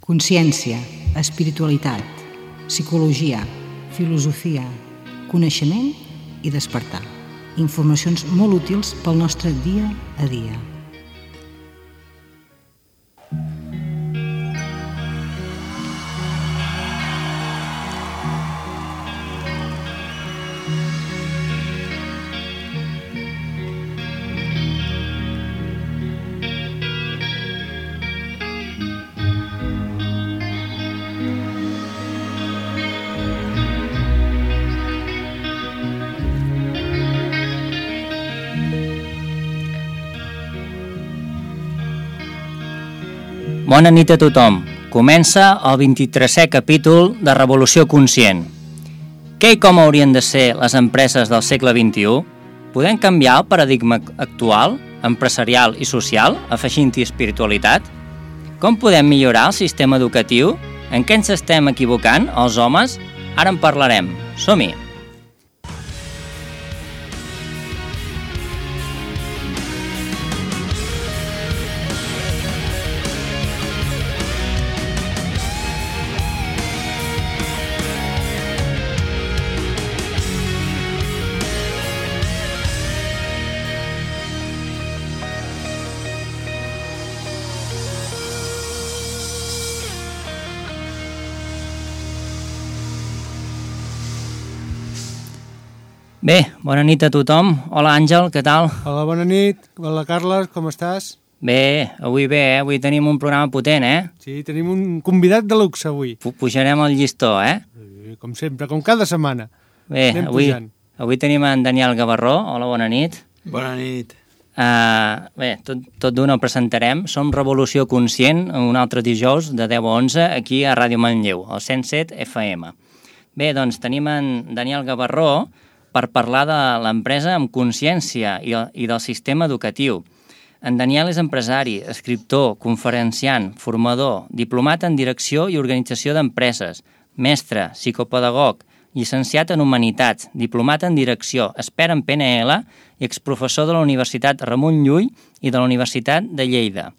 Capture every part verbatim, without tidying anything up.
Consciència, espiritualitat, psicologia, filosofia, coneixement i despertar. Informacions molt útils pel nostre dia a dia. Bona nit a tothom. Comença el vint-i-tresè capítol de Revolució Conscient. Què i com haurien de ser les empreses del segle vint-i-u? Podem canviar el paradigma actual, empresarial i social, afegint-hi espiritualitat? Com podem millorar el sistema educatiu? En què ens estem equivocant, els homes? Ara en parlarem. Som-hi! Bé, bona nit a tothom. Hola, Àngel, què tal? Hola, bona nit. Hola, Carles, com estàs? Bé, avui bé, eh? Avui tenim un programa potent, eh? Sí, tenim un convidat de luxe avui. Pujarem el llistó, eh? Sí, com sempre, com cada setmana. Bé, avui, avui tenim en Daniel Gavarró. Hola, bona nit. Bona nit. Uh, bé, tot, tot d'una el presentarem. Som Revolució Conscient, un altre dijous de deu a onze, aquí a Ràdio Manlleu, al cent set F M. Bé, doncs tenim en Daniel Gavarró per parlar de l'empresa amb consciència i, i del sistema educatiu. En Daniel és empresari, escriptor, conferenciant, formador, diplomat en direcció i organització d'empreses, mestre, psicopedagog, llicenciat en Humanitats, diplomat en direcció, expert en P N L i exprofessor de la Universitat Ramon Llull i de la Universitat de Lleida.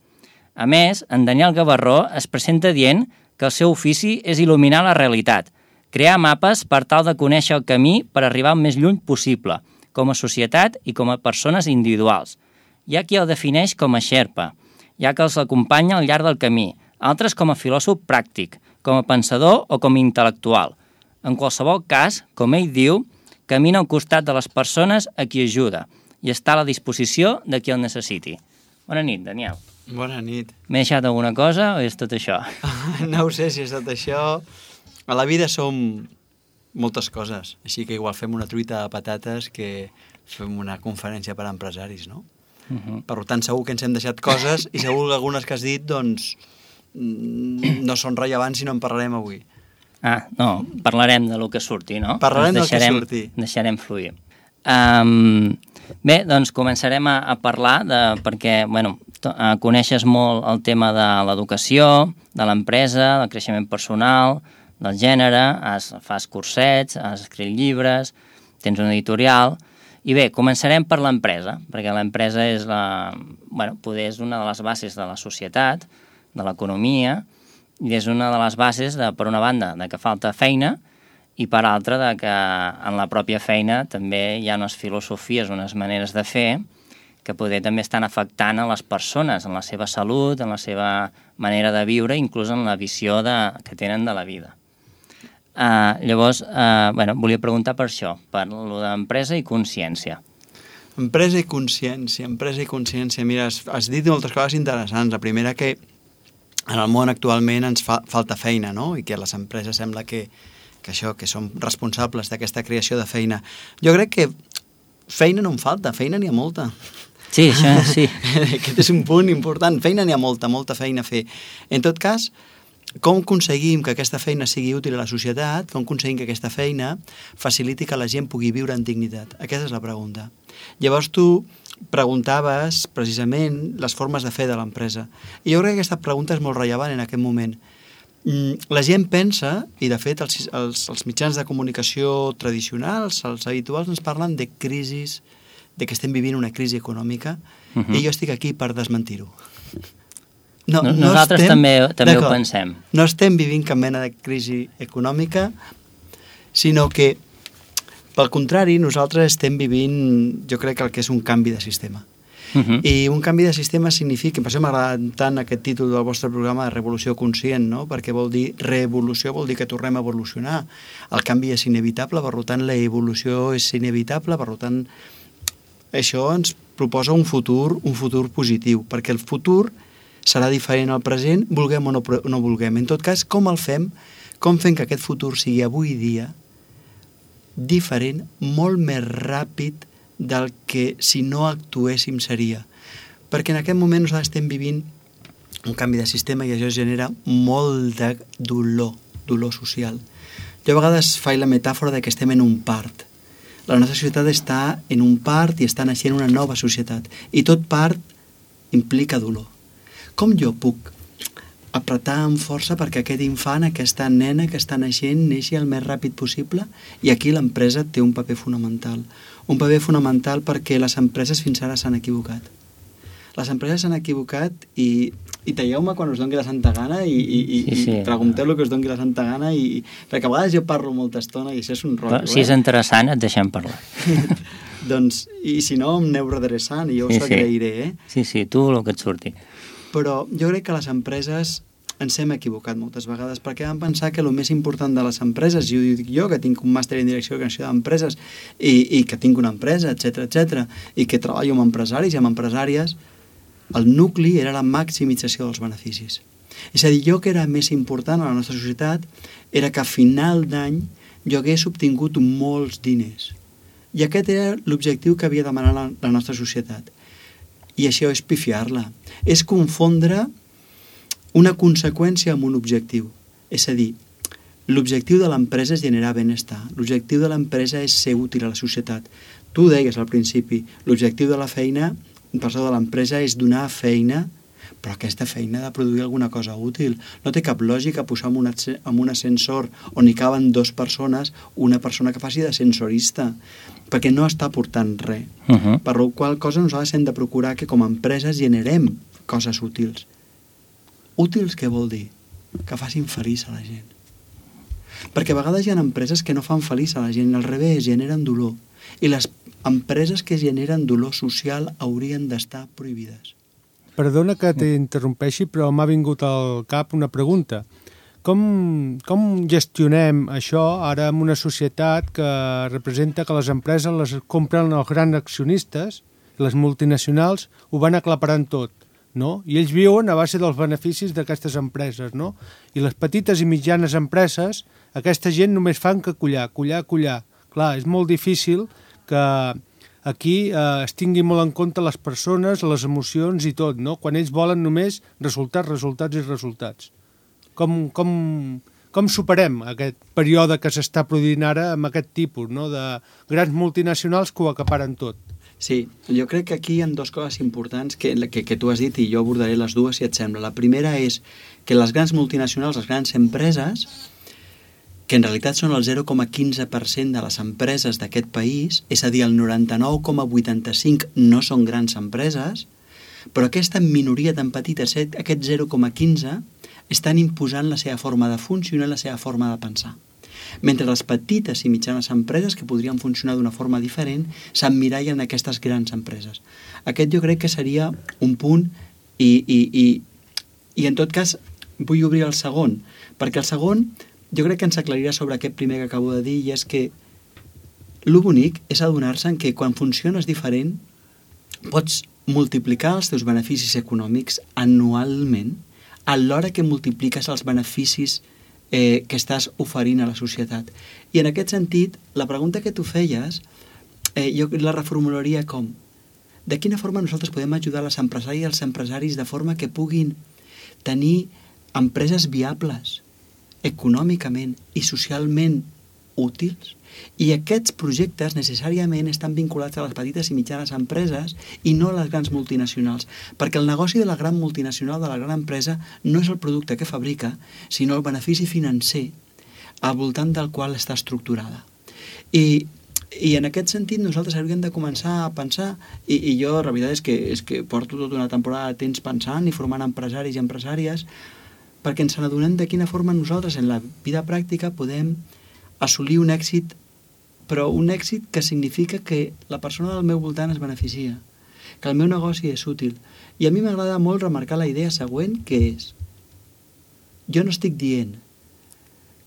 A més, en Daniel Gavarró es presenta dient que el seu ofici és il·luminar la realitat, crear mapes per tal de conèixer el camí per arribar el més lluny possible, com a societat i com a persones individuals. Hi ha qui el defineix com a xerpa, hi ha que els acompanya al llarg del camí, altres com a filòsof pràctic, com a pensador o com a intel·lectual. En qualsevol cas, com ell diu, camina al costat de les persones a qui ajuda i està a la disposició de qui el necessiti. Bona nit, Daniel. Bona nit. M'he deixat alguna cosa o és tot això? No ho sé si és tot això. A la vida som moltes coses, així que igual fem una truita de patates que fem una conferència per a empresaris, no? Uh -huh. Per tant, segur que ens hem deixat coses i segur que algunes que has dit, doncs, no són rellevants i no en parlarem avui. Ah, no, parlarem de lo que surti, no? Parlarem del que surti. Deixarem fluir. Um, bé, doncs començarem a, a parlar de, perquè, bueno, to, uh, coneixes molt el tema de l'educació, de l'empresa, del creixement personal, del gènere, has, fas cursets, has escrit llibres, tens un editorial, i bé, començarem per l'empresa, perquè l'empresa és, la, bueno, poder és una de les bases de la societat, de l'economia, i és una de les bases, de, per una banda, de que falta feina, i per altra, de que en la pròpia feina també hi ha unes filosofies, unes maneres de fer, que poder també estan afectant a les persones, en la seva salut, en la seva manera de viure, inclús en la visió de, que tenen de la vida. Uh, llavors, uh, bueno, volia preguntar per això, per lo d'empresa i consciència. Empresa i consciència, empresa i consciència. Mira, has, has dit moltes coses interessants. La primera, que en el món actualment ens fa, falta feina, no? I que les empreses sembla que, que això, que som responsables d'aquesta creació de feina. Jo crec que feina no en falta, feina n'hi ha molta. Sí, això sí. Aquest és un punt important. Feina n'hi ha molta, molta feina a fer. En tot cas, com aconseguim que aquesta feina sigui útil a la societat, com aconseguim que aquesta feina faciliti que la gent pugui viure en dignitat? Aquesta és la pregunta. Llavors tu preguntaves precisament les formes de fer de l'empresa. I jo crec que aquesta pregunta és molt rellevant en aquest moment. La gent pensa, i de fet els, els, els mitjans de comunicació tradicionals, els habituals, ens parlen de crisis, de que estem vivint una crisi econòmica, uh-huh. i jo estic aquí per desmentir-ho. No, no Nosaltres estem, també, també ho pensem. No estem vivint cap mena de crisi econòmica, sinó que, pel contrari, nosaltres estem vivint, jo crec que el que és un canvi de sistema. Uh -huh. I un canvi de sistema significa, per això m'agrada tant aquest títol del vostre programa de Revolució Conscient, no? Perquè vol dir, revolució vol dir que tornem a evolucionar. El canvi és inevitable, per tant la evolució és inevitable, per tant això ens proposa un futur, un futur positiu, perquè el futur serà diferent al present, vulguem o no, no vulguem. En tot cas, com el fem? Com fem que aquest futur sigui avui dia diferent, molt més ràpid del que si no actuéssim seria. Perquè en aquest moment nosaltres estem vivint un canvi de sistema i això genera molt de dolor, dolor social. Jo a vegades faig la metàfora de que estem en un part. La nostra societat està en un part i està naixent una nova societat. I tot part implica dolor. Com jo puc apretar amb força perquè aquest infant, aquesta nena que està naixent, neixi el més ràpid possible? I aquí l'empresa té un paper fonamental. Un paper fonamental perquè les empreses fins ara s'han equivocat. Les empreses s'han equivocat i, i talleu-me quan us doni la santa gana i, i, sí, sí. i pregunteu el que us doni la santa gana i, perquè a vegades jo parlo molta estona i això és un rotllo. Si és eh? interessant et deixem parlar. Doncs, i si no em aneu redreçant i jo us sí, agrairé. Eh? Sí, sí, tu el que et surti. Però jo crec que les empreses ens hem equivocat moltes vegades perquè vam pensar que el més important de les empreses, i ho dic jo, que tinc un màster en direcció i creació d'empreses i, i que tinc una empresa, etcètera, etcètera, i que treballo amb empresaris i amb empresàries, el nucli era la maximització dels beneficis. És a dir, jo que era més important a la nostra societat era que a final d'any jo hagués obtingut molts diners. I aquest era l'objectiu que havia demanat la, la nostra societat. I això és pifiar-la. És confondre una conseqüència amb un objectiu. És a dir, l'objectiu de l'empresa és generar benestar. L'objectiu de l'empresa és ser útil a la societat. Tu deies al principi, l'objectiu de la feina, perdó, de l'empresa és donar feina, però aquesta feina ha de produir alguna cosa útil. No té cap lògica posar en un, en un ascensor on hi caben dues persones una persona que faci d'ascensorista, perquè no està aportant res. Uh -huh. Per la qual cosa nosaltres hem de procurar que com a empreses generem coses útils. Útils què vol dir? Que facin feliç a la gent. Perquè a vegades hi ha empreses que no fan feliç a la gent, al revés, generen dolor. I les empreses que generen dolor social haurien d'estar prohibides. Perdona que t'interrompeixi, però m'ha vingut al cap una pregunta. Com, com gestionem això ara en una societat que representa que les empreses les compren els grans accionistes, les multinacionals ho van aclaparant tot, no? I ells viuen a base dels beneficis d'aquestes empreses, no? I les petites i mitjanes empreses, aquesta gent només fan que collar, collar, collar. Clar, és molt difícil que aquí eh, es tingui molt en compte les persones, les emocions i tot, no? Quan ells volen només resultats, resultats i resultats. Com, com, com superem aquest període que s'està produint ara amb aquest tipus, no? De grans multinacionals que ho acaparen tot? Sí, jo crec que aquí hi ha dues coses importants que, que, que tu has dit i jo abordaré les dues si et sembla. La primera és que les grans multinacionals, les grans empreses, que en realitat són el zero coma quinze per cent de les empreses d'aquest país, és a dir, el noranta-nou coma vuitanta-cinc no són grans empreses, però aquesta minoria tan petita, aquest zero coma quinze, estan imposant la seva forma de funcionar, la seva forma de pensar. Mentre les petites i mitjanes empreses, que podrien funcionar d'una forma diferent, s'emmirallen en aquestes grans empreses. Aquest jo crec que seria un punt i, i, i, i en tot cas vull obrir el segon, perquè el segon jo crec que ens aclarirà sobre aquest primer que acabo de dir, i és que el bonic és adonar-se que quan funciones diferent pots multiplicar els teus beneficis econòmics anualment alhora que multipliques els beneficis eh, que estàs oferint a la societat. I en aquest sentit, la pregunta que tu feies, eh, jo la reformularia com? De quina forma nosaltres podem ajudar les empresaris i els empresaris de forma que puguin tenir empreses viables econòmicament i socialment útils? I aquests projectes necessàriament estan vinculats a les petites i mitjanes empreses i no a les grans multinacionals, perquè el negoci de la gran multinacional, de la gran empresa, no és el producte que fabrica, sinó el benefici financer al voltant del qual està estructurada. I I en aquest sentit nosaltres hauríem de començar a pensar, i, i jo la veritat és que, és que porto tota una temporada de temps pensant i formant empresaris i empresàries, perquè ens n'adonem de quina forma nosaltres en la vida pràctica podem assolir un èxit, però un èxit que significa que la persona del meu voltant es beneficia, que el meu negoci és útil. I a mi m'agrada molt remarcar la idea següent, que és: jo no estic dient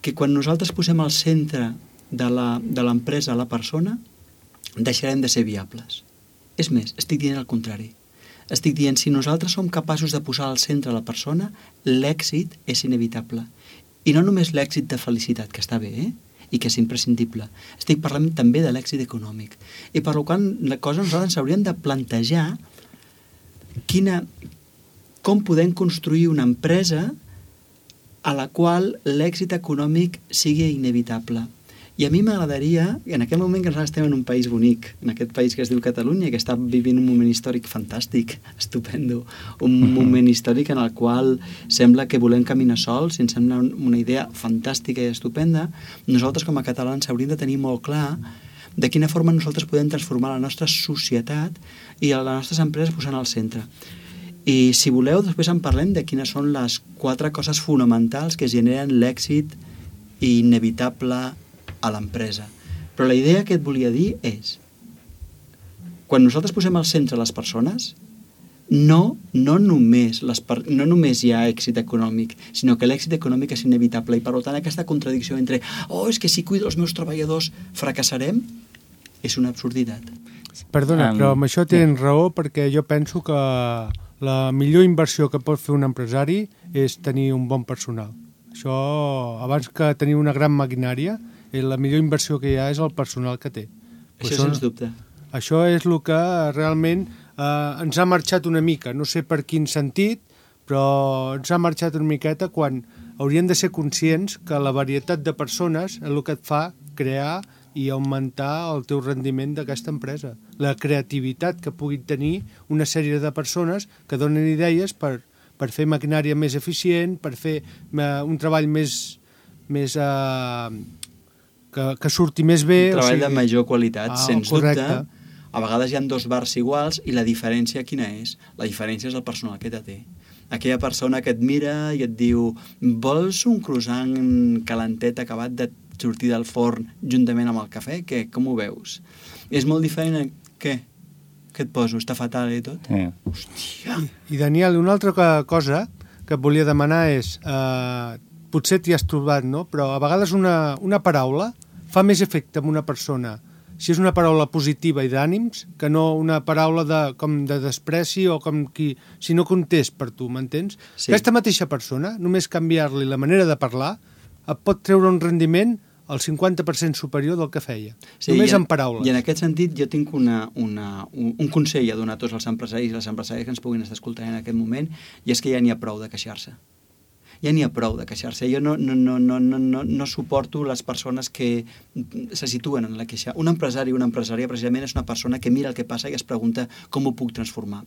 que quan nosaltres posem al centre de l'empresa a la persona, deixarem de ser viables. És més, estic dient el contrari. Estic dient, si nosaltres som capaços de posar al centre la persona, l'èxit és inevitable. I no només l'èxit de felicitat, que està bé, eh? I que és imprescindible. Estic parlant també de l'èxit econòmic. I per tant, la cosa nosaltres ens hauríem de plantejar quina, com podem construir una empresa a la qual l'èxit econòmic sigui inevitable. I a mi m'agradaria, en aquest moment que nosaltres estem en un país bonic, en aquest país que es diu Catalunya, que està vivint un moment històric fantàstic, estupendo, un moment històric en el qual sembla que volem caminar sols, i ens sembla una idea fantàstica i estupenda, nosaltres com a catalans hauríem de tenir molt clar de quina forma nosaltres podem transformar la nostra societat i les nostres empreses posant al centre. I si voleu, després en parlem de quines són les quatre coses fonamentals que generen l'èxit inevitable a l'empresa. Però la idea que et volia dir és: quan nosaltres posem al centre les persones, no, no, només les per, no només hi ha èxit econòmic, sinó que l'èxit econòmic és inevitable, i per tant aquesta contradicció entre oh, és que si cuido els meus treballadors fracassarem, és una absurditat. Perdona, um, però amb això tens raó, perquè jo penso que la millor inversió que pot fer un empresari és tenir un bon personal. Això, abans que tenir una gran maquinària, la millor inversió que hi ha és el personal que té. Això això sens dubte. Això és el que realment eh, ens ha marxat una mica, no sé per quin sentit, però ens ha marxat una miqueta quan hauríem de ser conscients que la varietat de persones és el que et fa crear i augmentar el teu rendiment d'aquesta empresa. La creativitat que puguin tenir una sèrie de persones que donen idees per, per fer maquinària més eficient, per fer eh, un treball més... més eh, Que, que surti més bé. Un treball o sigui... de major qualitat, ah, sens correcte. dubte. A vegades hi ha dos bars iguals i la diferència quina és? La diferència és el personal que te té. Aquella persona que et mira i et diu vols un croissant calentet acabat de sortir del forn juntament amb el cafè? Què? Com ho veus? És molt diferent a... Què? Què et poso? Està fatal i tot? Sí. Hòstia! I, I Daniel, una altra cosa que et volia demanar és... Eh, potser t'hi has trobat, no? Però a vegades una, una paraula fa més efecte en una persona si és una paraula positiva i d'ànims que no una paraula de, com de despreci o com qui, si no comptés per tu, m'entens? Sí. Aquesta mateixa persona, només canviar-li la manera de parlar, et pot treure un rendiment al cinquanta per cent superior del que feia. Sí, només en, en paraules. I en aquest sentit jo tinc una, una, un, un consell a donar a tots els empresaris i les empresàries que ens puguin estar escoltant en aquest moment, i és que ja n'hi ha prou de queixar-se. Ja n'hi ha prou de queixar-se. Jo no, no, no, no, no, no, no suporto les persones que se situen en la queixa. Un empresari o una empresària precisament és una persona que mira el que passa i es pregunta com ho puc transformar.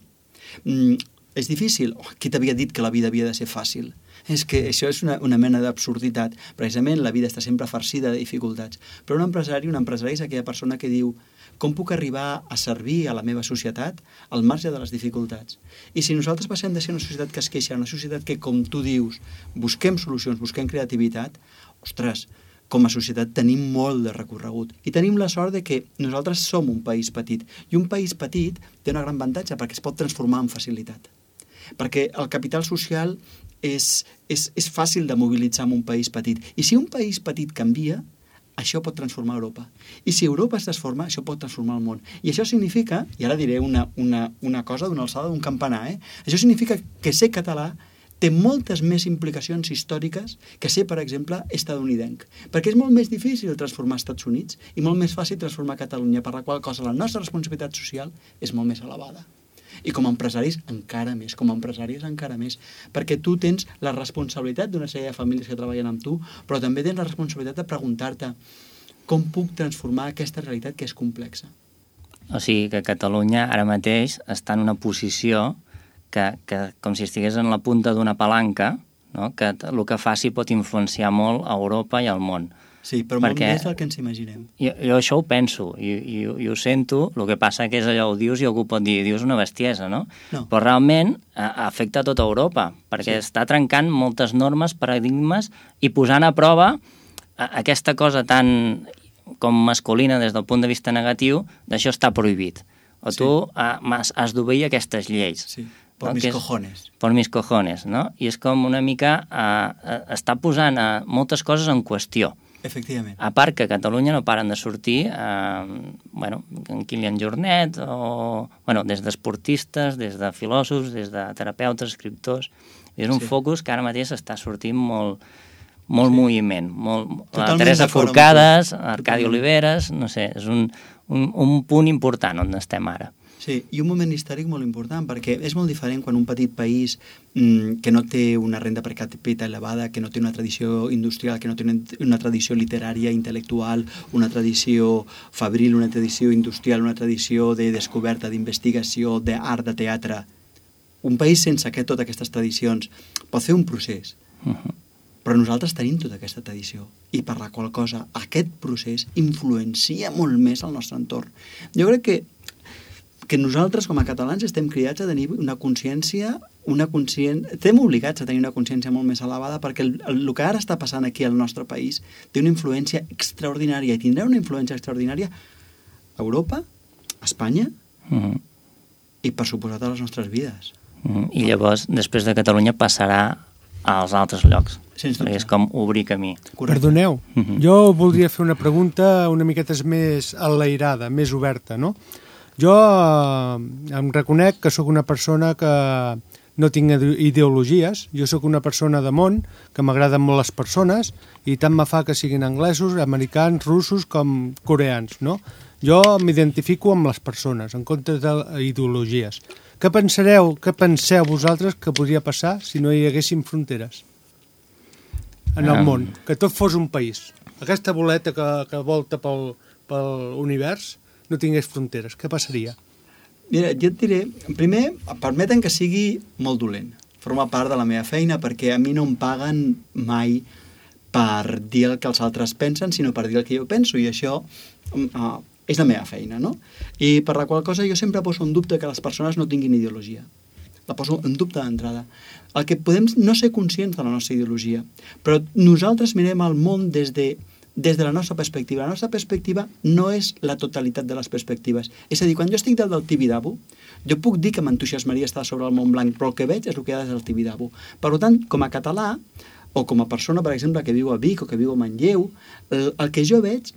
Mm, és difícil? Oh, qui t'havia dit que la vida havia de ser fàcil? És que això és una, una mena d'absurditat. Precisament la vida està sempre farcida de dificultats. Però un empresari, un empresari és aquella persona que diu com puc arribar a servir a la meva societat al marge de les dificultats. I si nosaltres passem de ser una societat que es queixa a una societat que, com tu dius, busquem solucions, busquem creativitat, ostres, com a societat tenim molt de recorregut. I tenim la sort de que nosaltres som un país petit. I un país petit té un gran avantatge perquè es pot transformar amb facilitat. Perquè el capital social és, és, és fàcil de mobilitzar en un país petit. I si un país petit canvia, això pot transformar Europa. I si Europa es transforma, això pot transformar el món. I això significa, i ara diré una, una, una cosa d'una alçada d'un campanar, eh? Això significa que ser català té moltes més implicacions històriques que ser, per exemple, estadounidenc. Perquè és molt més difícil transformar Estats Units i molt més fàcil transformar Catalunya, per la qual cosa la nostra responsabilitat social és molt més elevada. I com a empresaris encara més, com a empresàries encara més, perquè tu tens la responsabilitat d'una sèrie de famílies que treballen amb tu, però també tens la responsabilitat de preguntar-te com puc transformar aquesta realitat que és complexa. O sigui que Catalunya ara mateix està en una posició que, que com si estigués en la punta d'una palanca, no? Que el que faci pot influenciar molt a Europa i al món. Sí, però molt més del que ens imaginem. Jo, jo això ho penso i, i, i ho sento, el que passa que és allò, ho dius i algú pot dir, dius una bestiesa, no? No. Però realment a, afecta a tota Europa, perquè sí. està trencant moltes normes, paradigmes i posant a prova a, aquesta cosa tan com masculina des del punt de vista negatiu, d'això està prohibit. O sí. tu a, has, has d'obeir aquestes lleis. Sí, por no? mis cojones. Per mis cojones, no? I és com una mica, a, a, està posant a, moltes coses en qüestió. Efectivament. A part que a Catalunya no paren de sortir eh, bueno, en Kilian Jornet, o, bueno, des d'esportistes, des de filòsofs, des de terapeutes, escriptors. És un sí. focus que ara mateix està sortint molt, molt sí. moviment. Molt, la Teresa Forcades, Arcadi Oliveres, no sé, és un, un, un punt important on estem ara. Sí, i un moment històric molt important, perquè és molt diferent quan un petit país mmm, que no té una renda per capita elevada, que no té una tradició industrial, que no té una, una tradició literària, intel·lectual, una tradició fabril, una tradició industrial, una tradició de descoberta, d'investigació, d'art, de teatre. Un país sense aquest, totes aquestes tradicions pot fer un procés, uh-huh. però nosaltres tenim tota aquesta tradició, i per la qual cosa aquest procés influencia molt més el nostre entorn. Jo crec que que nosaltres, com a catalans, estem cridats a tenir una consciència, una consciència... Estem obligats a tenir una consciència molt més elevada perquè el, el, el que ara està passant aquí al nostre país té una influència extraordinària i tindrà una influència extraordinària a Europa, a Espanya uh-huh. i, per suposat, a les nostres vides. Uh-huh. I llavors, després de Catalunya, passarà als altres llocs. Sens dubte. És com obrir camí. Correcte. Perdoneu, uh-huh. jo voldria fer una pregunta una miqueta més enlairada, més oberta, no? Jo eh, em reconec que sóc una persona que no tinc ideologies, jo sóc una persona de món, que m'agraden molt les persones, i tant me fa que siguin anglesos, americans, russos com coreans, no? Jo m'identifico amb les persones, en comptes d'ideologies. Què pensareu, què penseu vosaltres que podria passar si no hi haguessin fronteres en el um... món? Que tot fos un país. Aquesta boleta que, que volta pel, pel univers no tingués fronteres, què passaria? Mira, jo et diré, primer, permeten que sigui molt dolent. Forma part de la meva feina perquè a mi no em paguen mai per dir el que els altres pensen, sinó per dir el que jo penso, i això uh, és la meva feina, no? I per la qual cosa jo sempre poso en dubte que les persones no tinguin ideologia. La poso en dubte d'entrada. El que podem no ser conscients de la nostra ideologia, però nosaltres mirem el món des de des de la nostra perspectiva. La nostra perspectiva no és la totalitat de les perspectives. És a dir, quan jo estic dalt del Tibidabo, jo puc dir que m'entusiasmaria estar sobre el Mont Blanc, però el que veig és el que hi ha des del Tibidabo. Per tant, com a català, o com a persona, per exemple, que viu a Vic o que viu a Manlleu, el, el que jo veig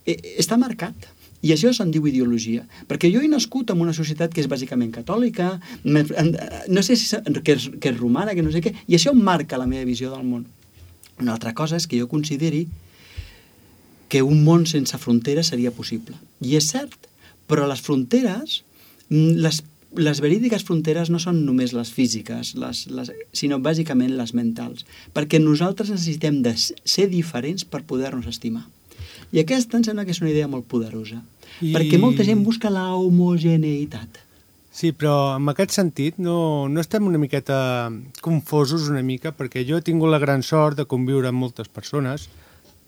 eh, està marcat. I això se'n diu ideologia. Perquè jo he nascut en una societat que és bàsicament catòlica, no sé si que és, que és romana, que no sé què, i això marca la meva visió del món. Una altra cosa és que jo consideri que un món sense fronteres seria possible. I és cert, però les fronteres, les, les verídiques fronteres no són només les físiques, les, les, sinó bàsicament les mentals, perquè nosaltres necessitem de ser diferents per poder-nos estimar. I aquesta em sembla que és una idea molt poderosa, I... perquè molta gent busca la homogeneïtat. Sí, però en aquest sentit no, no estem una miqueta confosos una mica, perquè jo he tingut la gran sort de conviure amb moltes persones,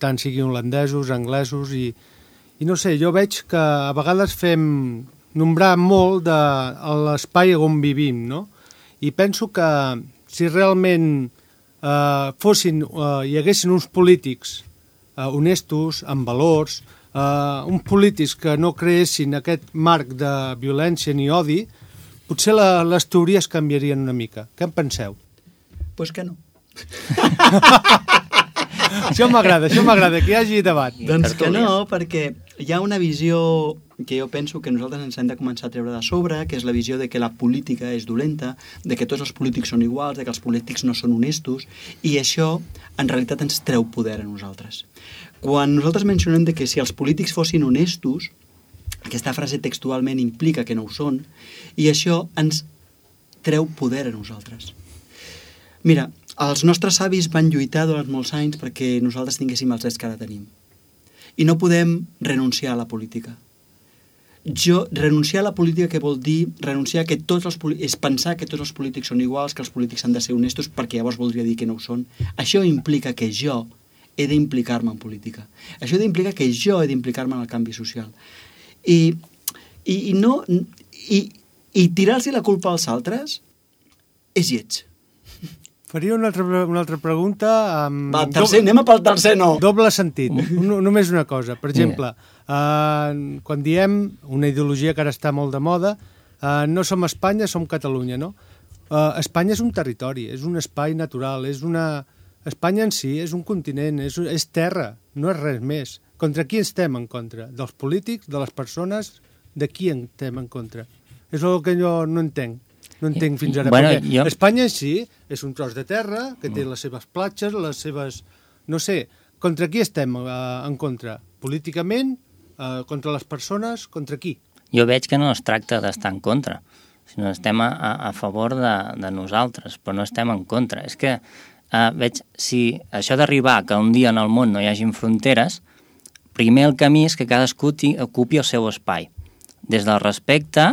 tant siguin holandesos, anglesos, i, i no sé, jo veig que a vegades fem nombrar molt de l'espai on vivim, no? I penso que si realment eh, fossin, eh, hi haguessin uns polítics eh, honestos, amb valors, eh, uns polítics que no creessin aquest marc de violència ni odi, potser la, les teories canviarien una mica. Què en penseu? Pues que no. Això m'agrada, això m'agrada, que hi hagi debat. Doncs que no, perquè hi ha una visió que jo penso que nosaltres ens hem de començar a treure de sobre, que és la visió de que la política és dolenta, de que tots els polítics són iguals, de que els polítics no són honestos, i això en realitat ens treu poder a nosaltres. Quan nosaltres mencionem de que si els polítics fossin honestos, aquesta frase textualment implica que no ho són, i això ens treu poder a nosaltres. Mira, els nostres avis van lluitar durant molts anys perquè nosaltres tinguéssim els drets que ara tenim. I no podem renunciar a la política. Jo, renunciar a la política què vol dir? Renunciar a que tots els és pensar que tots els polítics són iguals, que els polítics han de ser honestos, perquè llavors voldria dir que no ho són. Això implica que jo he d'implicar-me en política. Això d'implicar que jo he d'implicar-me en el canvi social. I, i, i, no, i, i tirar-los la culpa als altres és lleig. Faria una altra, una altra pregunta. Amb Va, tercer, doble, anem a pel tercer no. Doble sentit. Un, només una cosa. Per exemple, eh, quan diem una ideologia que ara està molt de moda, eh, no som Espanya, som Catalunya, no? Eh, Espanya és un territori, és un espai natural, és una... Espanya en si és un continent, és, és terra, no és res més. Contra qui estem en contra? Dels polítics, de les persones? De qui estem en contra? És el que jo no entenc. No entenc fins ara. Bueno, perquè jo... Espanya en si és un tros de terra que té les seves platges, les seves... No sé, contra qui estem eh, en contra? Políticament? Eh, contra les persones? Contra qui? Jo veig que no es tracta d'estar en contra, sinó estem a, a favor de, de nosaltres, però no estem en contra. És que Uh, veig, si això d'arribar que un dia en el món no hi hagin fronteres, primer el camí és que cadascú ocupi el seu espai, des del respecte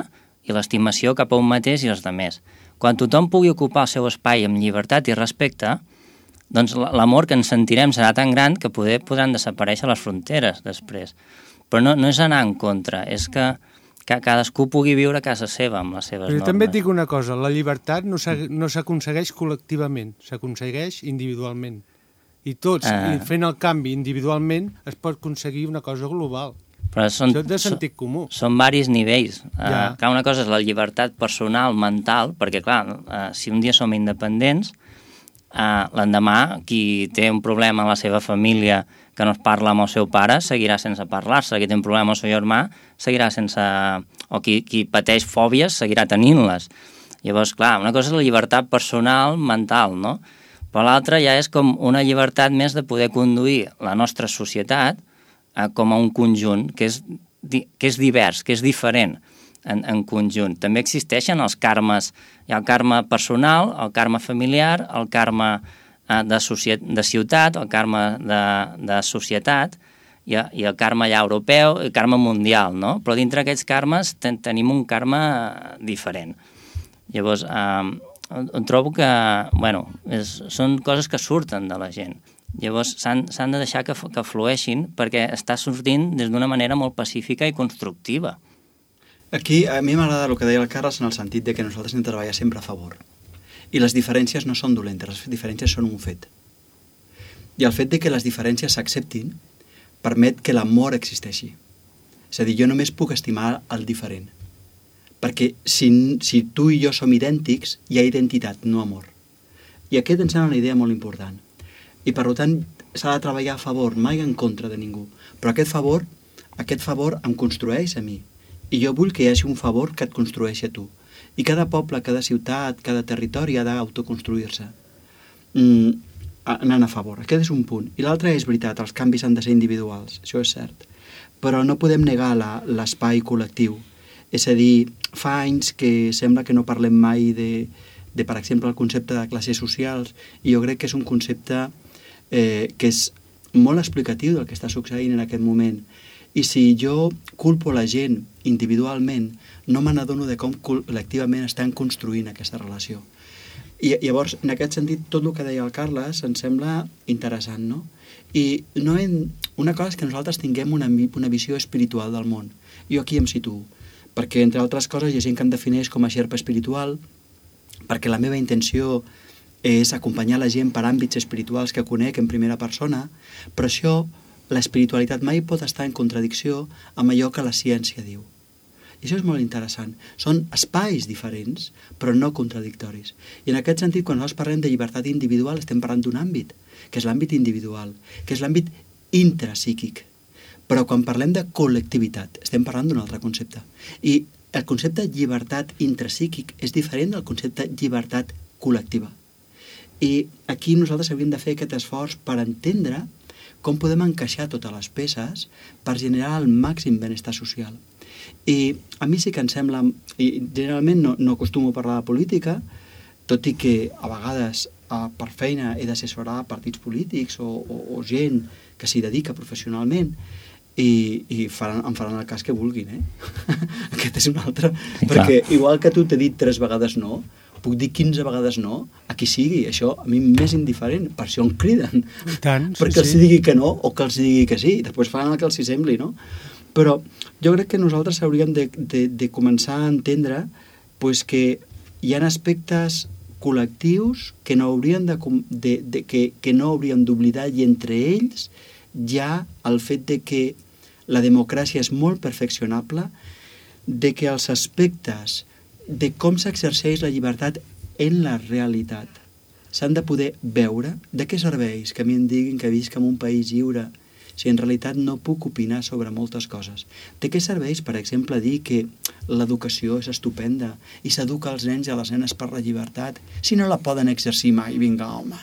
i l'estimació cap a un mateix i els altres. Quan tothom pugui ocupar el seu espai amb llibertat i respecte, doncs l'amor que ens sentirem serà tan gran que poder podran desaparèixer les fronteres després. Però no, no és anar en contra, és que que cadascú pugui viure a casa seva amb les seves Però normes. també et dic una cosa, la llibertat no s'aconsegueix col·lectivament, s'aconsegueix individualment. I tots, uh... i fent el canvi individualment, es pot aconseguir una cosa global. Però són, Això és de sentit comú. Són, són varis nivells. Ja. Uh, clar, una cosa és la llibertat personal, mental, perquè clar, uh, si un dia som independents, uh, l'endemà qui té un problema a la seva família que no es parla amb el seu pare, seguirà sense parlar-se. Qui té un problema amb el seu germà, seguirà sense... O qui, qui pateix fòbies, seguirà tenint-les. Llavors, clar, una cosa és la llibertat personal, mental, no? Però l'altra ja és com una llibertat més de poder conduir la nostra societat eh, com a un conjunt que és, que és divers, que és diferent en, en conjunt. També existeixen els karmes. Hi ha el karma personal, el karma familiar, el karma... De, de ciutat, el karma de, de societat i, i el karma ja europeu, el karma mundial, no? Però dintre aquests karmes ten, tenim un karma diferent. Llavors, eh, trobo que, bueno, és, són coses que surten de la gent. Llavors, s'han de deixar que, que flueixin perquè està sortint des d'una manera molt pacífica i constructiva. Aquí, a mi m'agrada el que deia el Carles en el sentit de que nosaltres hem de treballar sempre a favor. I les diferències no són dolentes, les diferències són un fet. I el fet de que les diferències s'acceptin permet que l'amor existeixi. És a dir, jo només puc estimar el diferent. Perquè si, si tu i jo som idèntics, hi ha identitat, no amor. I aquest em sembla una idea molt important. I per tant, s'ha de treballar a favor, mai en contra de ningú. Però aquest favor, aquest favor em construeix a mi. I jo vull que hi hagi un favor que et construeixi a tu. I cada poble, cada ciutat, cada territori ha d'autoconstruir-se. Mm, anant a favor. Aquest és un punt. I l'altre és veritat, els canvis han de ser individuals, això és cert. Però no podem negar l'espai col·lectiu. És a dir, fa anys que sembla que no parlem mai de, de per exemple, el concepte de classes socials, i jo crec que és un concepte eh, que és molt explicatiu del que està succeint en aquest moment. I si jo culpo la gent individualment, no me n'adono de com col·lectivament estan construint aquesta relació. I llavors, en aquest sentit, tot el que deia el Carles em sembla interessant, no? I no hem... una cosa és que nosaltres tinguem una, una visió espiritual del món. Jo aquí em situo, perquè, entre altres coses, hi ha gent que em defineix com a xerpa espiritual, perquè la meva intenció és acompanyar la gent per àmbits espirituals que conec en primera persona, però això, l'espiritualitat mai pot estar en contradicció amb allò que la ciència diu. I això és molt interessant. Són espais diferents, però no contradictoris. I en aquest sentit, quan nosaltres parlem de llibertat individual, estem parlant d'un àmbit, que és l'àmbit individual, que és l'àmbit intrapsíquic. Però quan parlem de col·lectivitat, estem parlant d'un altre concepte. I el concepte llibertat intrapsíquic és diferent del concepte llibertat col·lectiva. I aquí nosaltres hauríem de fer aquest esforç per entendre com podem encaixar totes les peces per generar el màxim benestar social. I a mi sí que em sembla, i generalment no, no acostumo a parlar de política, tot i que a vegades a, per feina he d'assessorar partits polítics o, o, o gent que s'hi dedica professionalment, i, i faran, em faran el cas que vulguin, eh? Aquest és un altre. Sí, perquè clar. Igual que tu t'he dit tres vegades no, puc dir quinze vegades no a qui sigui, això a mi m'és indiferent, per això em criden. I tant, sí, perquè els sí. digui que no o que els digui que sí, i després fan el que els hi sembli, no? Però jo crec que nosaltres hauríem de, de, de començar a entendre pues, que hi ha aspectes col·lectius que no haurien de, de, de, que, que no hauríem d'oblidar, i entre ells hi ha el fet de que la democràcia és molt perfeccionable, de que els aspectes de com s'exerceix la llibertat en la realitat s'han de poder veure. De què serveix que a mi em diguin que visc en un país lliure si en realitat no puc opinar sobre moltes coses? De què serveix, per exemple, dir que l'educació és estupenda i s'educa els nens i a les nenes per la llibertat si no la poden exercir mai? Vinga, home.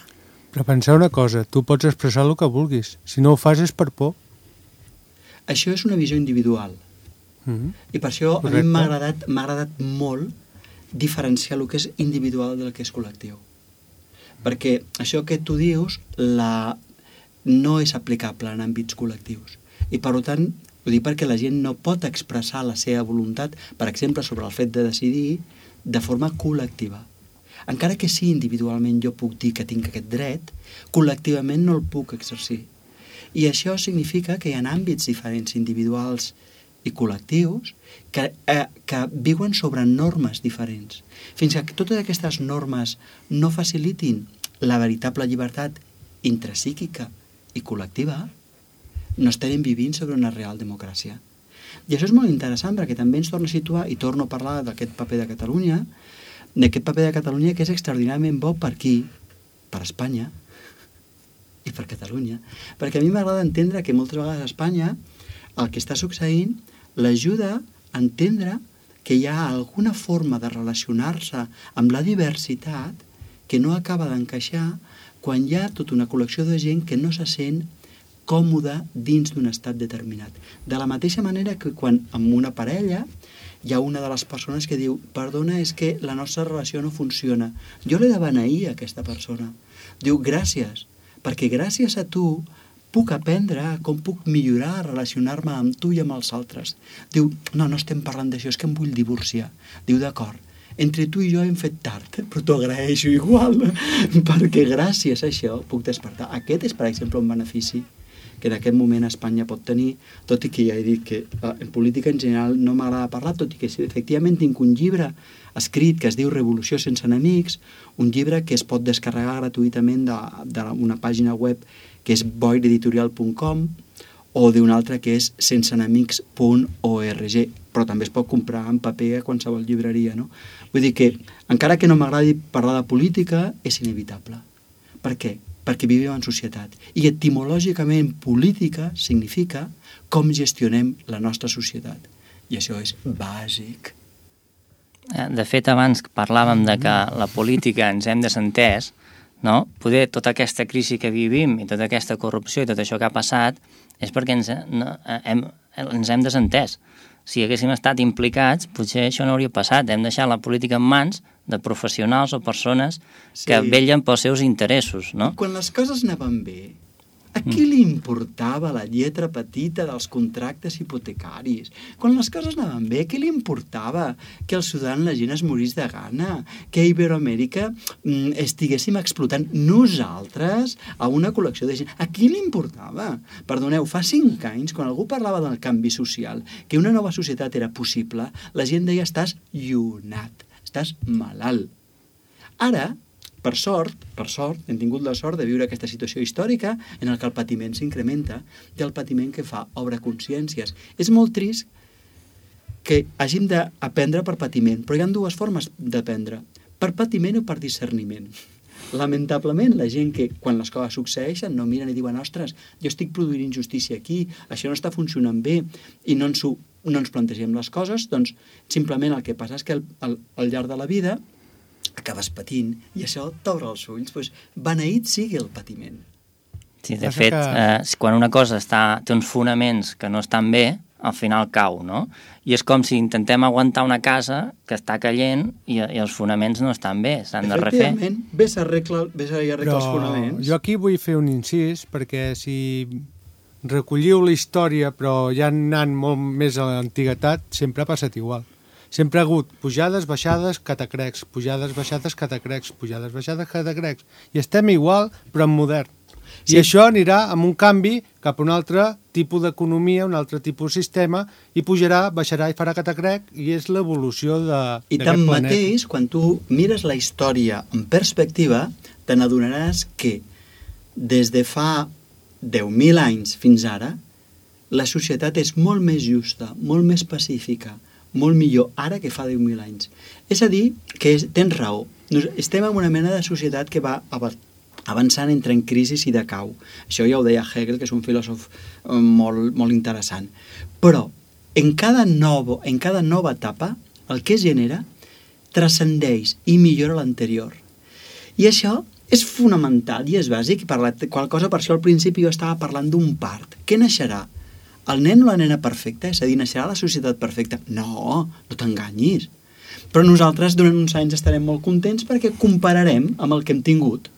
Però pensar una cosa, tu pots expressar el que vulguis. Si no ho fas és per por. Això és una visió individual. Mm-hmm. I per això Correcte. A mi m'ha agradat, m'ha agradat molt diferenciar el que és individual del que és col·lectiu. Perquè això que tu dius la... no és aplicable en àmbits col·lectius. I per tant, ho dic perquè la gent no pot expressar la seva voluntat, per exemple, sobre el fet de decidir de forma col·lectiva. Encara que sí, individualment jo puc dir que tinc aquest dret, col·lectivament no el puc exercir. I això significa que hi ha àmbits diferents individuals i col·lectius que, eh, que viuen sobre normes diferents. Fins que totes aquestes normes no facilitin la veritable llibertat intrapsíquica i col·lectiva, no estarem vivint sobre una real democràcia. I això és molt interessant perquè també ens torna a situar, i torno a parlar d'aquest paper de Catalunya, d'aquest paper de Catalunya que és extraordinàriament bo per aquí, per Espanya i per Catalunya. Perquè a mi m'agrada entendre que moltes vegades a Espanya el que està succeint l'ajuda a entendre que hi ha alguna forma de relacionar-se amb la diversitat que no acaba d'encaixar quan hi ha tota una col·lecció de gent que no se sent còmode dins d'un estat determinat. De la mateixa manera que quan amb una parella hi ha una de les persones que diu perdona, és que la nostra relació no funciona. Jo l'he de beneir a aquesta persona. Diu gràcies, perquè gràcies a tu puc aprendre com puc millorar, relacionar-me amb tu i amb els altres. Diu, no, no estem parlant d'això, és que em vull divorciar. Diu, d'acord, entre tu i jo hem fet tard, però t'ho agraeixo igual, perquè gràcies a això puc despertar. Aquest és, per exemple, un benefici que en aquest moment Espanya pot tenir, tot i que ja he dit que en política en general no m'agrada parlar, tot i que sí, efectivament tinc un llibre escrit que es diu Revolució sense enemics, un llibre que es pot descarregar gratuïtament d'una pàgina web que és boir editorial punt com o d'una altra que és sense enemics punt org, però també es pot comprar en paper a qualsevol llibreria, no? Vull dir que, encara que no m'agradi parlar de política, és inevitable. Per què? Perquè vivim en societat. I etimològicament política significa com gestionem la nostra societat. I això és bàsic. De fet, abans parlàvem de que la política ens hem desentès, no? Poder tota aquesta crisi que vivim i tota aquesta corrupció i tot això que ha passat és perquè ens, no, hem, ens hem desentès. Si haguéssim estat implicats, potser això no hauria passat. Hem deixat la política en mans de professionals o persones sí. que vellen pels seus interessos, no? Quan les coses anaven bé, a qui li importava la lletra petita dels contractes hipotecaris? Quan les coses anaven bé, a qui li importava que al Sudan la gent es morís de gana? Que a Iberoamèrica mm, estiguéssim explotant nosaltres a una col·lecció de gent? A qui li importava? Perdoneu, fa cinc anys, quan algú parlava del canvi social, que una nova societat era possible, la gent deia estàs llunat, estàs malalt. Ara, per sort, per sort, hem tingut la sort de viure aquesta situació històrica en el que el patiment s'incrementa i el patiment que fa obre consciències. És molt trist que hàgim d'aprendre per patiment, però hi ha dues formes d'aprendre, per patiment o per discerniment. Lamentablement, la gent que, quan les coses succeeixen, no miren i diuen ostres, jo estic produint injustícia aquí, això no està funcionant bé, i no ens, ho, no ens plantegem les coses, doncs simplement el que passa és que al, al, al llarg de la vida acabes patint, i això t'obre els ulls, doncs beneït sigui el patiment. Sí, de fet, eh, quan una cosa està, té uns fonaments que no estan bé, al final cau, no? I és com si intentem aguantar una casa que està caient i, i els fonaments no estan bé, s'han de refer. Efectivament, vés a arreglar, vés a arreglar els fonaments. Jo aquí vull fer un incís, perquè si recolliu la història, però ja anant molt més a l'antiguitat, sempre ha passat igual. Sempre ha hagut pujades, baixades, catacrecs, pujades, baixades, catacrecs, pujades, baixades, catacrecs. I estem igual, però en modern. I sí. Això anirà amb un canvi cap a un altre tipus d'economia, un altre tipus de sistema, i pujarà, baixarà i farà catacrec, i és l'evolució d'aquest planeta. I tanmateix, quan tu mires la història en perspectiva, te n'adonaràs que des de fa deu mil anys fins ara, la societat és molt més justa, molt més pacífica, molt millor ara que fa deu mil anys. És a dir, que és, tens raó. Estem en una mena de societat que va avançant entre en crisi i decau. Això ja ho deia Hegel, que és un filòsof molt, molt interessant. Però en cada, novo, en cada nova etapa, el que es genera transcendeix i millora l'anterior. I això és fonamental i és bàsic. Per la qual cosa, per això al principi jo estava parlant d'un part. Què naixerà? El nen o la nena perfecta? És a dir, naixerà la societat perfecta? No, no t'enganyis. Però nosaltres durant uns anys estarem molt contents perquè compararem amb el que hem tingut.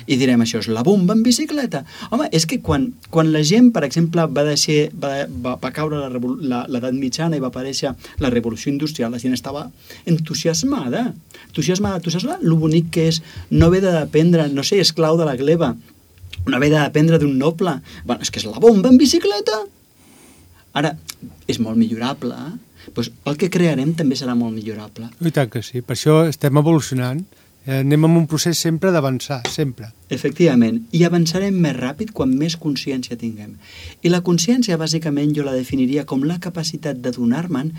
I direm, això és la bomba en bicicleta. Home, és que quan, quan la gent, per exemple, va, deixar, va, va, va caure l'edat mitjana i va aparèixer la revolució industrial, la gent estava entusiasmada. Entusiasmada. Tu saps lo bonic que és no haver d'aprendre, no sé, esclau de la gleba, no haver d'aprendre d'un noble. Bueno, és que és la bomba en bicicleta. Ara, és molt millorable, eh? Pues el que crearem també serà molt millorable. I tant que sí, per això estem evolucionant. Eh, anem en un procés sempre d'avançar, sempre. Efectivament, i avançarem més ràpid quan més consciència tinguem. I la consciència, bàsicament, jo la definiria com la capacitat d'adonar-me'n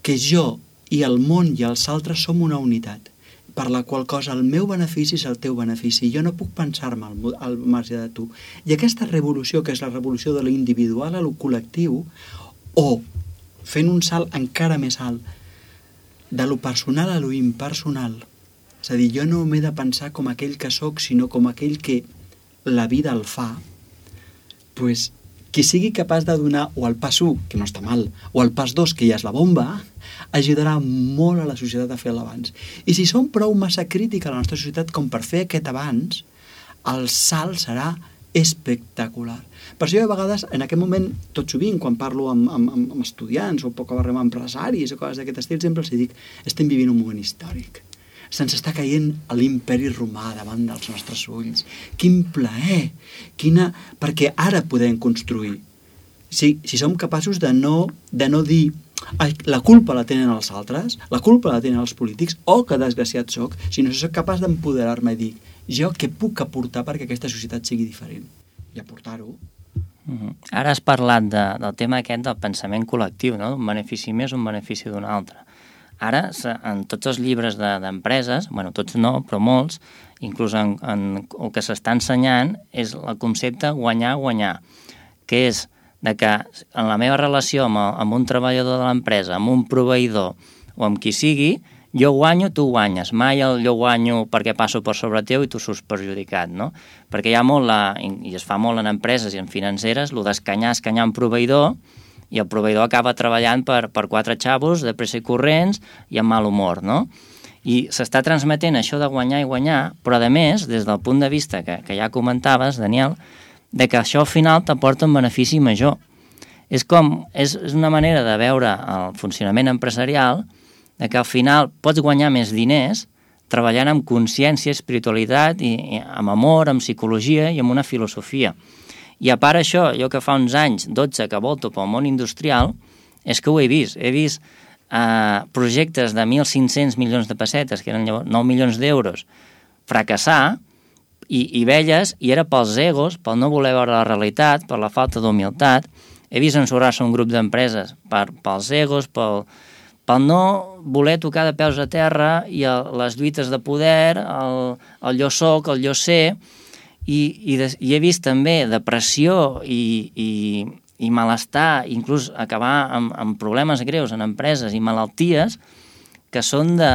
que jo i el món i els altres som una unitat, per la qual cosa el meu benefici és el teu benefici. Jo no puc pensar-me al, al marge de tu. I aquesta revolució, que és la revolució de l'individual a lo col·lectiu, o fent un salt encara més alt, de lo personal a lo impersonal. És a dir, jo no m'he de pensar com aquell que sóc, sinó com aquell que la vida el fa, pues, qui sigui capaç de donar o el pas u, que no està mal, o el pas dos, que ja és la bomba, ajudarà molt a la societat a fer l'abans. I si som prou massa crítica a la nostra societat com per fer aquest abans, el salt serà espectacular. Per això jo a vegades, en aquest moment, tot sovint, quan parlo amb, amb, amb estudiants o poc a barrem amb empresaris o coses d'aquest estil, sempre els dic, estem vivint un moment històric. Se'ns està caient a l'imperi romà davant dels nostres ulls. Quin plaer! Quina... Perquè ara podem construir. Si, si som capaços de no, de no dir la culpa la tenen els altres, la culpa la tenen els polítics, o que desgraciat soc, sinó que soc capaç d'empoderar-me i dir jo què puc aportar perquè aquesta societat sigui diferent. I aportar-ho. Mm-hmm. Ara has parlat de, del tema aquest del pensament col·lectiu, no? Un benefici més, un benefici d'un altre. Ara, en tots els llibres d'empreses, de, bueno, tots no, però molts, inclús en, en el que s'està ensenyant, és el concepte guanyar-guanyar, que és de que en la meva relació amb, el, amb un treballador de l'empresa, amb un proveïdor o amb qui sigui, jo guanyo, tu guanyes. Mai el jo guanyo perquè passo per sobre teu i tu surts perjudicat, no? Perquè hi ha molt, la, i es fa molt en empreses i en financeres, el d'escanyar, escanyar un proveïdor, i el proveïdor acaba treballant per, per quatre xavos de pressa i corrents i amb mal humor, no? I s'està transmetent això de guanyar i guanyar, però a més, des del punt de vista que, que ja comentaves, Daniel, de que això al final t'aporta un benefici major. És com, és, és una manera de veure el funcionament empresarial, de que al final pots guanyar més diners treballant amb consciència, espiritualitat, i, i amb amor, amb psicologia i amb una filosofia. I a part això, jo que fa uns anys, dotze, que volto pel món industrial, és que ho he vist. He vist eh, projectes de mil cinc-cents milions de pessetes, que eren nou milions d'euros, fracassar, i, i velles, i era pels egos, pel no voler veure la realitat, per la falta d'humilitat. He vist ensorrar-se un grup d'empreses per, pels egos, pel, pel no voler tocar de peus a terra, i el, les lluites de poder, el, el jo soc, el jo sé. I, i, de, i he vist també depressió i, i, i malestar, inclús acabar amb, amb problemes greus en empreses i malalties que són de,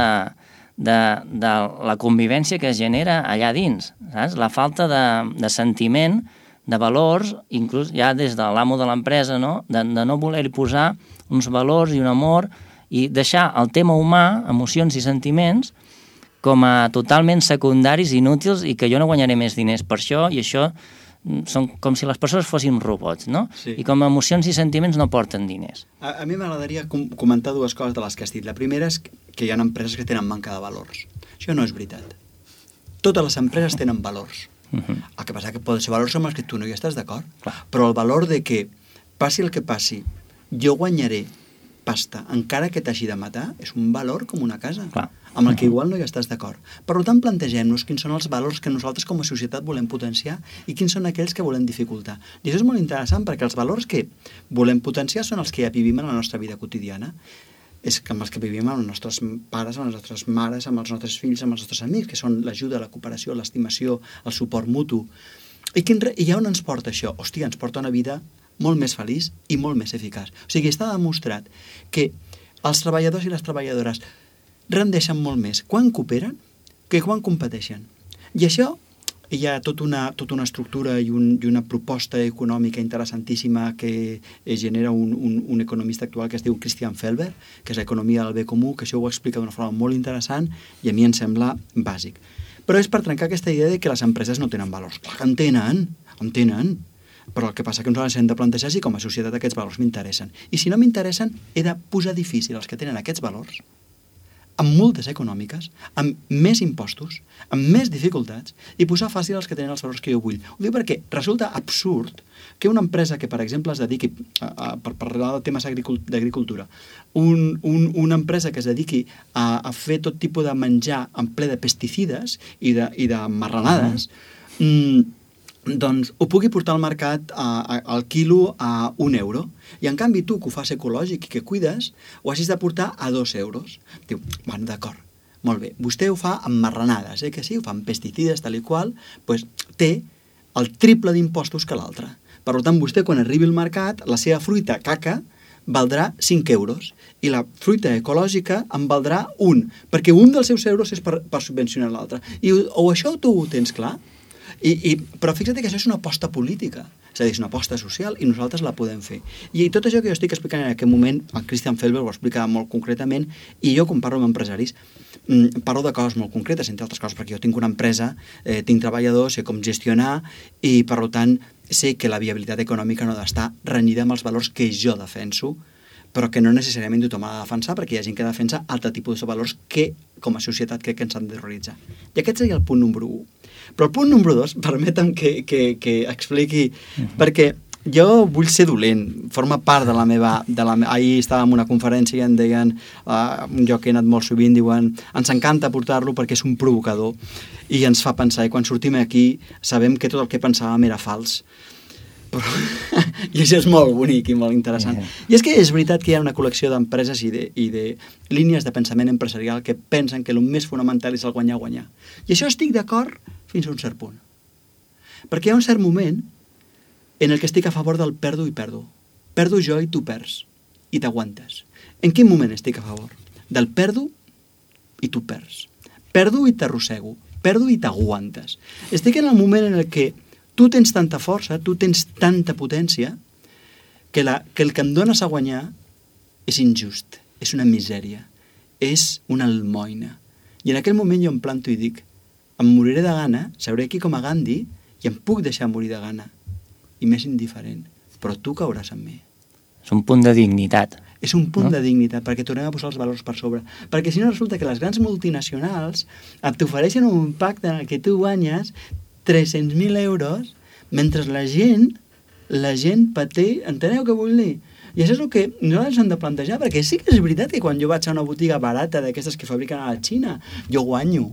de, de la convivència que es genera allà dins, saps? La falta de, de sentiment, de valors, inclús ja des de l'amo de l'empresa, no? De, de no voler-hi posar uns valors i un amor i deixar el tema humà, emocions i sentiments, com a totalment secundaris, inútils, i que jo no guanyaré més diners per això, i això són com si les persones fossin robots, no? Sí. I com a emocions i sentiments no porten diners. A, a mi m'agradaria com comentar dues coses de les que has dit. La primera és que hi ha empreses que tenen manca de valors. Això no és veritat. Totes les empreses tenen valors. Uh -huh. El que passa que poden ser valors amb els que tu no hi estàs d'acord. Clar. Però el valor de que, passi el que passi, jo guanyaré pasta, encara que t'hagi de matar, és un valor com una casa, Clar. amb el que igual no hi estàs d'acord. Per tant, plantegem-nos quins són els valors que nosaltres com a societat volem potenciar i quins són aquells que volem dificultar. I això és molt interessant perquè els valors que volem potenciar són els que ja vivim en la nostra vida quotidiana. És que amb els que vivim amb els nostres pares, amb les nostres mares, amb els nostres fills, amb els nostres amics, que són l'ajuda, la cooperació, l'estimació, el suport mutu. I, quin, I ja on ens porta això? Hòstia, ens porta una vida molt més feliç i molt més eficaç. O sigui, està demostrat que els treballadors i les treballadores rendeixen molt més quan cooperen que quan competeixen. I això hi ha tota una, tota una estructura i, un, i una proposta econòmica interessantíssima que genera un, un, un economista actual que es diu Christian Felber, que és l'economia del bé comú, que això ho explica d'una forma molt interessant i a mi em sembla bàsic. Però és per trencar aquesta idea de que les empreses no tenen valors. Clar que en tenen, en tenen, però el que passa que ens hem de plantejar si com a societat aquests valors m'interessen. I si no m'interessen, he de posar difícil els que tenen aquests valors, amb multes econòmiques, amb més impostos, amb més dificultats, i posar fàcil els que tenen els valors que jo vull. Ho dic perquè resulta absurd que una empresa que, per exemple, es dediqui, a, a, per parlar de temes d'agricultura, un, un, una empresa que es dediqui a, a fer tot tipus de menjar en ple de pesticides i de, i de marranades, mm, doncs ho pugui portar al mercat a, a, al quilo a un euro. I en canvi tu, que ho fas ecològic i que cuides, ho hagis de portar a dos euros. Diu, bueno, d'acord, molt bé. Vostè ho fa amb marranades, eh, que sí, ho fa amb pesticides, tal i qual, doncs té el triple d'impostos que l'altre. Per tant, vostè, quan arribi al mercat, la seva fruita caca valdrà cinc euros i la fruita ecològica en valdrà un, perquè un dels seus euros és per, per subvencionar l'altre. I o això tu ho tens clar? I, i, però fixa't que això és una aposta política, és a dir, és una aposta social i nosaltres la podem fer. I tot això que jo estic explicant en aquest moment, el Christian Felber ho explica molt concretament, i jo quan parlo amb empresaris parlo de coses molt concretes, entre altres coses, perquè jo tinc una empresa, eh, tinc treballadors, sé com gestionar i per tant sé que la viabilitat econòmica no ha d'estar renyida amb els valors que jo defenso, però que no necessàriament tothom ha de defensar, perquè hi ha gent que defensa altre tipus de valors que, com a societat, crec que ens han de realitzar. I aquest seria el punt número u. Però el punt número dos, permetem que, que, que expliqui, uh-huh. perquè jo vull ser dolent, forma part de la meva... De la, ahir estava en una conferència i em deien, uh, un lloc que he anat molt sovint, diuen, ens encanta portar-lo perquè és un provocador i ens fa pensar, i quan sortim aquí sabem que tot el que pensàvem era fals. Però, i això és molt bonic i molt interessant. Yeah. I és que és veritat que hi ha una col·lecció d'empreses i, de, i de línies de pensament empresarial que pensen que el més fonamental és el guanyar-guanyar. I això estic d'acord fins a un cert punt. Perquè hi ha un cert moment en el que estic a favor del perdo i perdo. Perdo jo i tu perds. I t'aguantes. En quin moment estic a favor? Del perdo i tu perds. Perdo i t'arrossego. Perdo i t'aguantes. Estic en el moment en el que tu tens tanta força, tu tens tanta potència, que, la, que el que em dones a guanyar és injust, és una misèria, és una almoina. I en aquell moment jo em planto i dic, em moriré de gana, seuré aquí com a Gandhi, i em puc deixar morir de gana. I m'és indiferent, però tu cauràs amb mi. És un punt de dignitat. És un punt no? de dignitat, perquè tornem a posar els valors per sobre. Perquè si no resulta que les grans multinacionals t'ofereixen un pacte en el que tu guanyes tres-cents mil euros, mentre la gent, la gent pateix, enteneu què vull dir? I això és el que nosaltres hem de plantejar, perquè sí que és veritat que quan jo vaig a una botiga barata d'aquestes que fabriquen a la Xina, jo guanyo,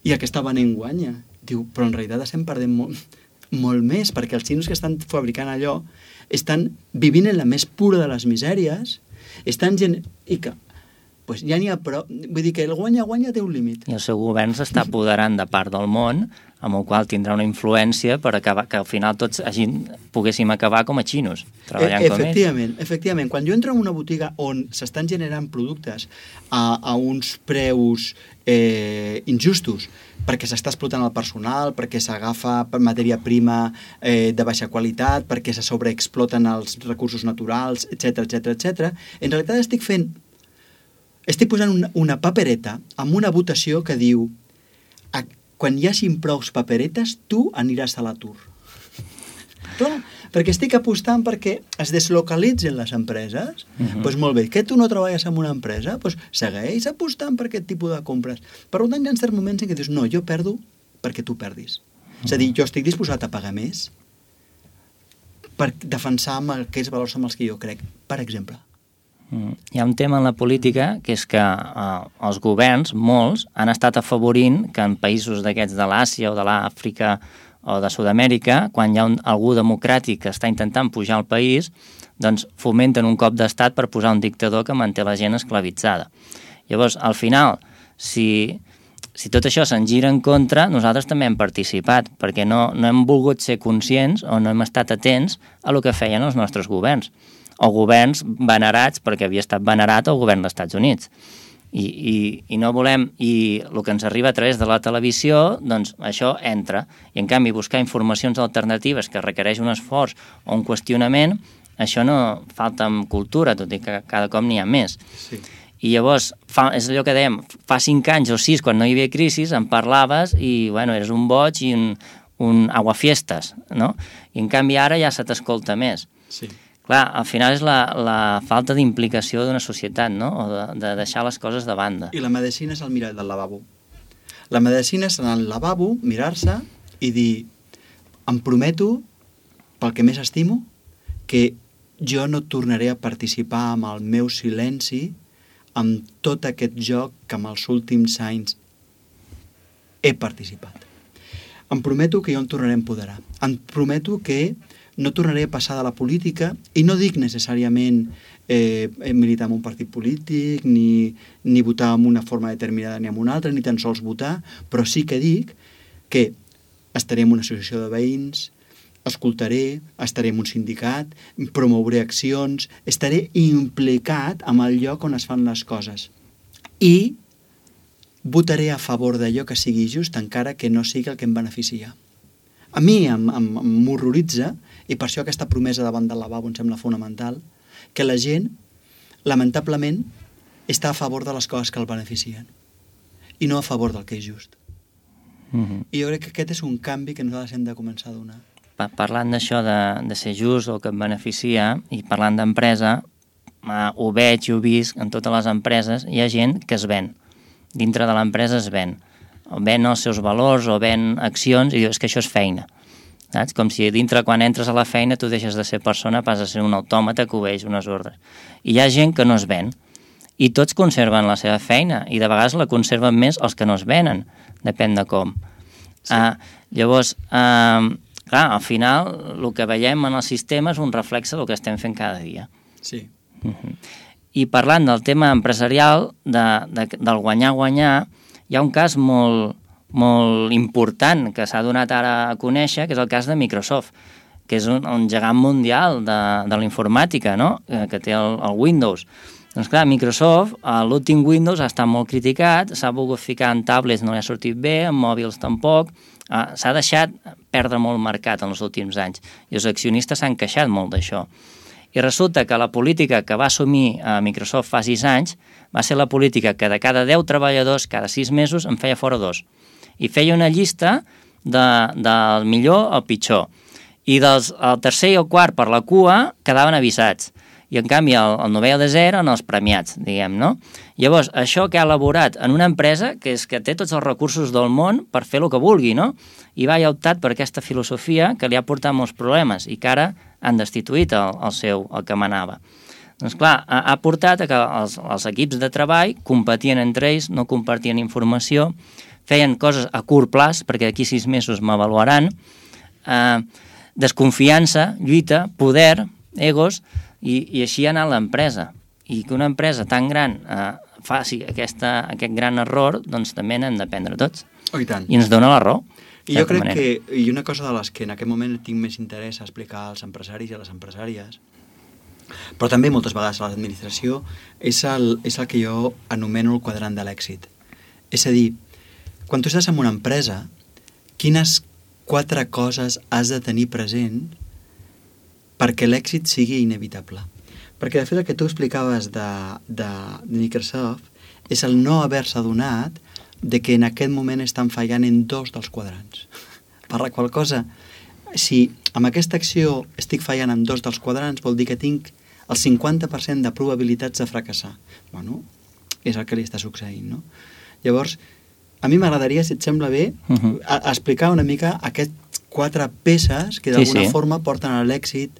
i el que està venent guanya. Diu, però en realitat estem perdent molt, molt més, perquè els xinos que estan fabricant allò estan vivint en la més pura de les misèries, estan gent... I que, pues ja n'hi ha prou. Vull dir que el guanya-guanya té un límit. I el seu govern s'està apoderant de part del món, amb el qual tindrà una influència per acabar, que al final tots hagin, poguéssim acabar com a xinos, treballant e com ells. Efectivament, efectivament. Quan jo entro en una botiga on s'estan generant productes a, a uns preus eh, injustos, perquè s'està explotant el personal, perquè s'agafa matèria prima eh, de baixa qualitat, perquè se sobreexploten els recursos naturals, etcètera, etcètera, etcètera, en realitat estic fent estic posant una, una papereta amb una votació que diu a, quan hi hagin prous paperetes, tu aniràs a l'atur. Clar, perquè estic apostant perquè es deslocalitzen les empreses. Doncs uh-huh. pues molt bé, que tu no treballes en una empresa, doncs segueix apostant per aquest tipus de compres. Per tant, hi ha certs moments en què dius, no, jo perdo perquè tu perdis. Uh-huh. És a dir, jo estic disposat a pagar més per defensar amb aquells valors amb els que jo crec, per exemple. Uh-huh. Hi ha un tema en la política que és que uh, els governs, molts, han estat afavorint que en països d'aquests de l'Àsia o de l'Àfrica o de Sud-amèrica, quan hi ha un, algú democràtic que està intentant pujar al país, doncs fomenten un cop d'estat per posar un dictador que manté la gent esclavitzada. Llavors, al final, si, si tot això se'n gira en contra, nosaltres també hem participat, perquè no, no hem volgut ser conscients o no hem estat atents a el que feien els nostres governs, o governs venerats, perquè havia estat venerat el govern dels Estats Units. I, i, i no volem, i el que ens arriba a través de la televisió, doncs això entra. I en canvi buscar informacions alternatives que requereix un esforç o un qüestionament, això no falta en cultura, tot i que cada cop n'hi ha més. Sí. I llavors, fa, és allò que dèiem, fa cinc anys o sis, quan no hi havia crisi, en parlaves i, bueno, eres un boig i un, un aguafiestes, no? I en canvi ara ja se t'escolta més. Sí. Clar, al final és la, la falta d'implicació d'una societat, no? O de, de deixar les coses de banda. I la medicina és el mirall del lavabo. La medicina és en el lavabo, mirar-se i dir, em prometo, pel que més estimo, que jo no tornaré a participar amb el meu silenci amb tot aquest joc que en els últims anys he participat. Em prometo que jo em tornaré a empoderar. Em prometo que no tornaré a passar de la política, i no dic necessàriament eh, militar en un partit polític, ni, ni votar en una forma determinada ni en una altra, ni tan sols votar, però sí que dic que estaré en una associació de veïns, escoltaré, estaré en un sindicat, promouré accions, estaré implicat amb el lloc on es fan les coses. I votaré a favor d'allò que sigui just, encara que no sigui el que em beneficia. A mi m'horroritza, i per això aquesta promesa davant del lavabo em sembla fonamental, que la gent, lamentablement, està a favor de les coses que el beneficien i no a favor del que és just. Mm-hmm. I jo crec que aquest és un canvi que nosaltres hem de començar a donar. Parlant d'això de, de ser just o que et beneficia, i parlant d'empresa, eh, ho veig i ho visc en totes les empreses, hi ha gent que es ven. Dintre de l'empresa es ven. O ven els seus valors o ven accions i dius que això és feina. Saps? Com si dintre, quan entres a la feina, tu deixes de ser persona, passes a ser un autòmata que obeeix unes ordres. I hi ha gent que no es ven. I tots conserven la seva feina, i de vegades la conserven més els que no es venen. Depèn de com. Sí. Uh, llavors, uh, clar, al final, el que veiem en el sistema és un reflexe del que estem fent cada dia. Sí. Uh-huh. I parlant del tema empresarial, de, de, del guanyar-guanyar, hi ha un cas molt, molt important que s'ha donat ara a conèixer, que és el cas de Microsoft, que és un, un gegant mundial de, de la informàtica, no? que, que té el, el Windows. Doncs clar, Microsoft, l'últim Windows ha estat molt criticat, s'ha volgut ficar en tablets, no li ha sortit bé, en mòbils tampoc, s'ha deixat perdre molt mercat en els últims anys, i els accionistes s'han queixat molt d'això. I resulta que la política que va assumir a Microsoft fa sis anys va ser la política que de cada deu treballadors, cada sis mesos, en feia fora dos. I feia una llista de, del millor al pitjor. I dels, el tercer i el quart per la cua quedaven avisats. I en canvi el, el novè i el desè eren els premiats, diguem, no? Llavors, això que ha elaborat en una empresa que és que té tots els recursos del món per fer el que vulgui, no? I va i ha optat per aquesta filosofia que li ha portat molts problemes i que ara han destituït el, el seu, el que manava. Doncs clar, ha, ha portat a que els, els equips de treball competien entre ells, no compartien informació, feien coses a curt plaç, perquè d'aquí sis mesos m'avaluaran, eh, desconfiança, lluita, poder, egos, i, i així ha anat l'empresa. I que una empresa tan gran eh, faci aquesta, aquest gran error, doncs també n'hem d'aprendre tots. Oh, i tant. I ens dona la raó. I jo crec manera. que, i una cosa de les que en aquest moment tinc més interès a explicar als empresaris i a les empresàries, però també moltes vegades a l'administració, és el, és el que jo anomeno el quadrant de l'èxit. És a dir, quan tu estàs en una empresa, quines quatre coses has de tenir present perquè l'èxit sigui inevitable? Perquè de fet el que tu explicaves de, de, de Microsoft és el no haver-se adonat de que en aquest moment estan fallant en dos dels quadrans. Per la qual cosa si amb aquesta acció estic fallant en dos dels quadrants, vol dir que tinc el cinquanta per cent de probabilitats de fracassar. Bueno, és el que li està succeint, no? Llavors, a mi m'agradaria, si et sembla bé, uh -huh. a, a explicar una mica aquests quatre peces que d'alguna sí, sí. forma porten a l'èxit.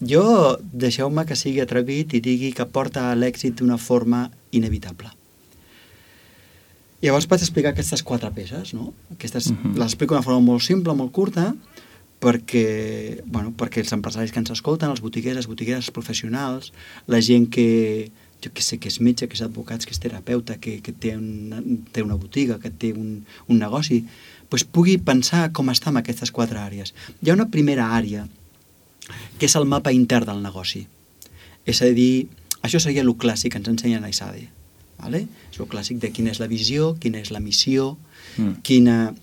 Jo, deixeu-me que sigui atrevit i digui que porta a l'èxit d'una forma inevitable. Llavors vaig explicar aquestes quatre peces, no? Aquestes, uh-huh. Les explico d'una forma molt simple, molt curta, perquè, bueno, perquè els empresaris que ens escolten, els botiguers, les botigueres, els professionals, la gent que, jo que sé, que és metge, que és advocat, que és terapeuta, que, que té, una, té una botiga, que té un, un negoci, doncs pugui pensar com està en aquestes quatre àrees. Hi ha una primera àrea, que és el mapa intern del negoci. És a dir, això seria el clàssic que ens ensenyen a I S A D E. Vale? És el clàssic de quina és la visió, quina és la missió, mm. quina,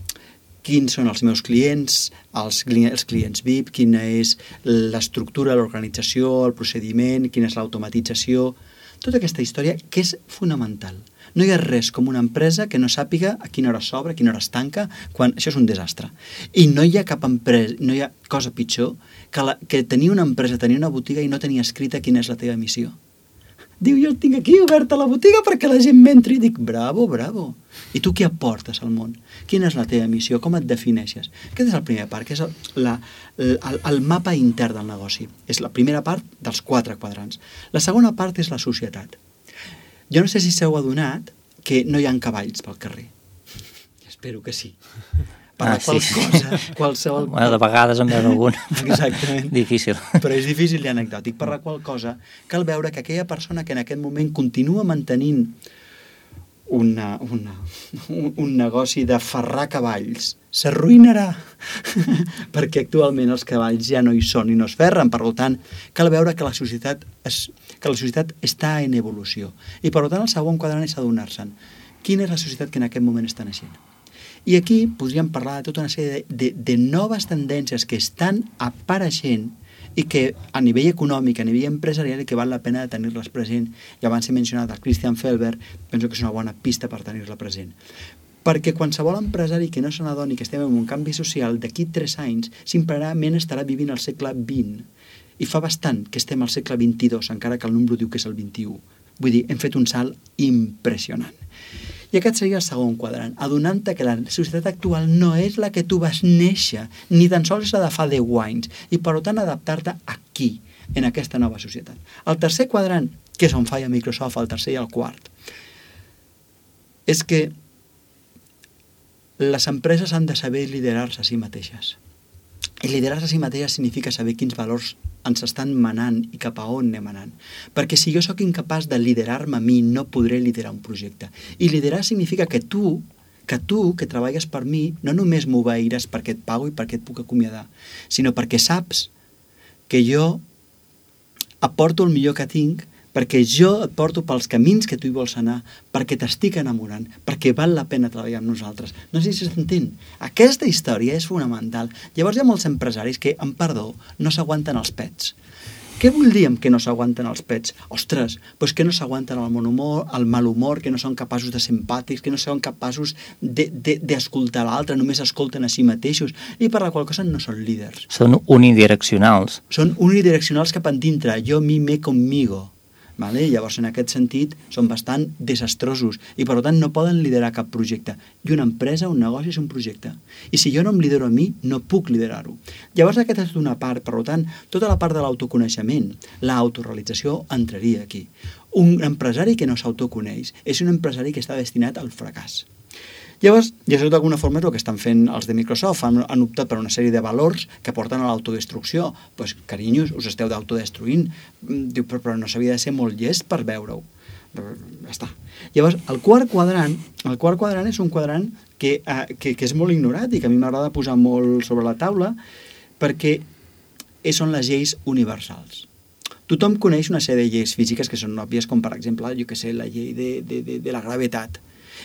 quins són els meus clients, els, els clients V I P, quina és l'estructura, l'organització, el procediment, quina és l'automatització, tota aquesta història que és fonamental. No hi ha res com una empresa que no sàpiga a quina hora s'obre, a quina hora es tanca, quan això és un desastre. I no hi ha cap empresa, no hi ha cosa pitjor que, la, que tenir una empresa, tenir una botiga i no tenir escrita quina és la teva missió. Diu, jo tinc aquí oberta la botiga perquè la gent m'entri. I dic, bravo, bravo. I tu què aportes al món? Quina és la teva missió? Com et defineixes? Aquest és el primer part, que és el, la, el, el mapa intern del negoci. És la primera part dels quatre quadrants. La segona part és la societat. Jo no sé si s'heu adonat que no hi ha cavalls pel carrer. Espero que sí. Per ah, la qual sí. cosa, qualsevol... Bueno, de vegades en veure algun. Exactament. Difícil. Però és difícil i anecdòtic. Per la qual cosa cal veure que aquella persona que en aquest moment continua mantenint una, una, un, un negoci de ferrar cavalls s'arruïnarà perquè actualment els cavalls ja no hi són i no es ferren. Per tant, cal veure que la societat, es, que la societat està en evolució. I per tant, el segon quadrant és adonar-se'n quina és la societat que en aquest moment està naixent. I aquí podríem parlar de tota una sèrie de, de, de noves tendències que estan apareixent i que a nivell econòmic, a nivell empresarial, i que val la pena de tenir-les present. I abans he mencionat el Christian Felber, penso que és una bona pista per tenir-la present. Perquè qualsevol empresari que no se n'adoni que estem en un canvi social, d'aquí tres anys, simplement estarà vivint al segle vint. I fa bastant que estem al segle vint-i-dos, encara que el número diu que és el vint-i-u. Vull dir, hem fet un salt impressionant. I aquest seria el segon quadrant, adonant-te que la societat actual no és la que tu vas néixer, ni tan sols la de fa deu anys, i per tant adaptar-te aquí, en aquesta nova societat. El tercer quadrant, que és on falla Microsoft, el tercer i el quart, és que les empreses han de saber liderar-se a si mateixes. I liderar-se a si mateixes significa saber quins valors ens estan manant i cap a on anem anant. Perquè si jo sóc incapaç de liderar-me a mi, no podré liderar un projecte. I liderar significa que tu, que tu, que treballes per mi, no només m'obeiràs perquè et pago i perquè et puc acomiadar, sinó perquè saps que jo aporto el millor que tinc, perquè jo et porto pels camins que tu hi vols anar, perquè t'estic enamorant, perquè val la pena treballar amb nosaltres. No sé si s'entén. Aquesta història és fonamental. Llavors hi ha molts empresaris que, amb perdó, no s'aguanten els pets. Què vull dir amb que no s'aguanten els pets? Ostres, doncs que no s'aguanten el mal humor, el mal humor, que no són capaços de ser empàtics, que no són capaços d'escoltar l'altre, només escolten a si mateixos, i per la qual cosa no són líders. Són unidireccionals. Són unidireccionals cap endintre, jo, mi, me, conmigo. Vale? Llavors, en aquest sentit, són bastant desastrosos i, per tant, no poden liderar cap projecte. I una empresa, un negoci, és un projecte. I si jo no em lidero a mi, no puc liderar-ho. Llavors, aquesta és una part. Per tant, tota la part de l'autoconeixement, l'autorealització, entraria aquí. Un empresari que no s'autoconeix és un empresari que està destinat al fracàs. Llavors, i això d'alguna forma és el que estan fent els de Microsoft, han, han optat per una sèrie de valors que porten a l'autodestrucció. Doncs, pues, carinyos, us esteu d'autodestruint. Diu, però, però no s'havia de ser molt llest per veure-ho. Ja està. Llavors, el quart quadrant, el quart quadrant és un quadrant que, eh, que, que és molt ignorat i que a mi m'agrada posar molt sobre la taula perquè són les lleis universals. Tothom coneix una sèrie de lleis físiques que són òbvies, com per exemple, jo que sé, la llei de, de, de, de la gravetat.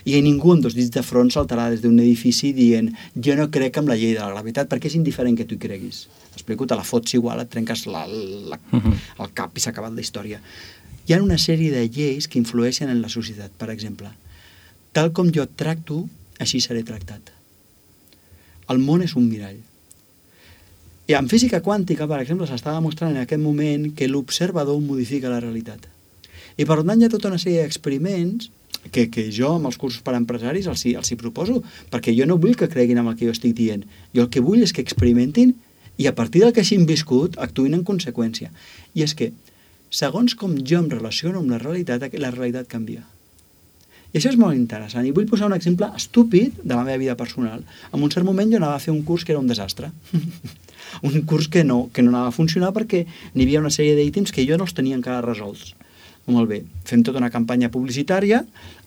I ningú amb dos dits de front saltarà des d'un edifici dient jo no crec en la llei de la gravetat perquè és indiferent que tu hi creguis. T'explico, te la fots igual, et trenques la, la, el cap i s'ha acabat la història. Hi ha una sèrie de lleis que influeixen en la societat. Per exemple, tal com jo et tracto, així seré tractat. El món és un mirall. I en física quàntica, per exemple, s'està demostrant en aquest moment que l'observador modifica la realitat. I per tant hi ha tota una sèrie d'experiments que, que jo amb els cursos per a empresaris els hi, els hi proposo, perquè jo no vull que creguin en el que jo estic dient. Jo el que vull és que experimentin i a partir del que hagin viscut actuïn en conseqüència. I és que, segons com jo em relaciono amb la realitat, la realitat canvia. I això és molt interessant. I vull posar un exemple estúpid de la meva vida personal. En un cert moment jo anava a fer un curs que era un desastre. Un curs que no, que no anava a funcionar perquè n'hi havia una sèrie d'ítems que jo no els tenia encara resolts. Molt bé, fem tota una campanya publicitària,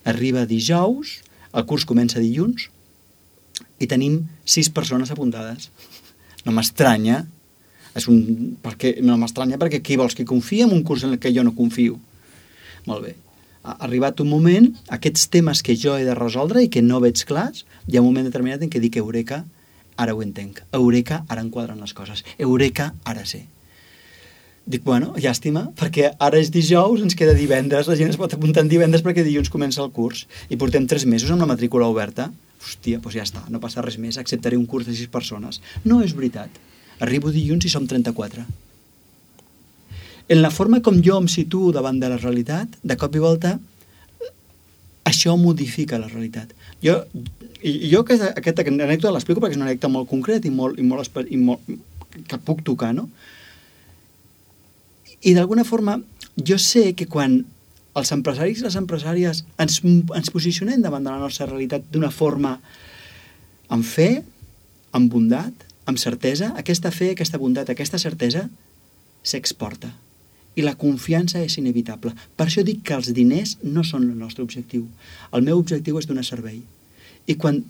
arriba dijous, el curs comença dilluns i tenim sis persones apuntades. No m'estranya, és un, perquè, no m'estranya perquè qui vols que confia en un curs en el que jo no confio? Molt bé, ha arribat un moment, aquests temes que jo he de resoldre i que no veig clars, hi ha un moment determinat en què dic eureka, ara ho entenc, eureka, ara enquadren les coses, eureka, ara sé. Dic, bueno, llàstima, perquè ara és dijous, ens queda divendres, la gent es pot apuntar en divendres perquè dilluns comença el curs i portem tres mesos amb la matrícula oberta. Hòstia, doncs ja està, no passa res més, acceptaré un curs de sis persones. No és veritat. Arribo dilluns i som trenta-quatre. En la forma com jo em situo davant de la realitat, de cop i volta, això modifica la realitat. Jo, i jo aquesta, aquesta anècdota l'explico perquè és una anècdota molt concreta i molt, i molt, i molt que puc tocar, no? I d'alguna forma jo sé que quan els empresaris i les empresàries ens, ens posicionem davant de la nostra realitat d'una forma amb fe, amb bondat, amb certesa, aquesta fe, aquesta bondat, aquesta certesa s'exporta. I la confiança és inevitable. Per això dic que els diners no són el nostre objectiu. El meu objectiu és donar servei. I quan,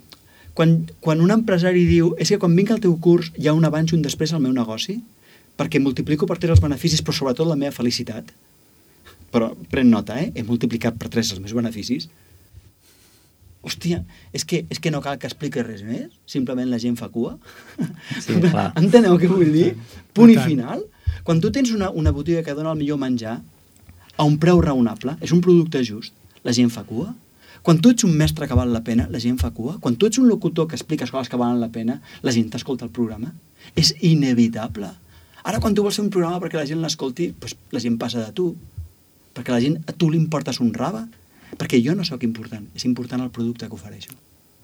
quan, quan un empresari diu és que quan vinc al teu curs hi ha un abans i un després al meu negoci, perquè multiplico per tres els beneficis, però sobretot la meva felicitat. Però pren nota, eh? He multiplicat per tres els meus beneficis. Hòstia, és que, és que no cal que expliqui res més? Simplement la gent fa cua? Sí, clar. Enteneu què vull dir? Punt i final. Quan tu tens una, una botiga que dona el millor menjar a un preu raonable, és un producte just, la gent fa cua? Quan tu ets un mestre que val la pena, la gent fa cua? Quan tu ets un locutor que expliques coses que valen la pena, la gent t'escolta el programa? És inevitable. Ara, quan tu vols fer un programa perquè la gent l'escolti, doncs la gent passa de tu. Perquè la gent, a tu li importes un rave. Perquè jo no sóc important, és important el producte que ofereixo.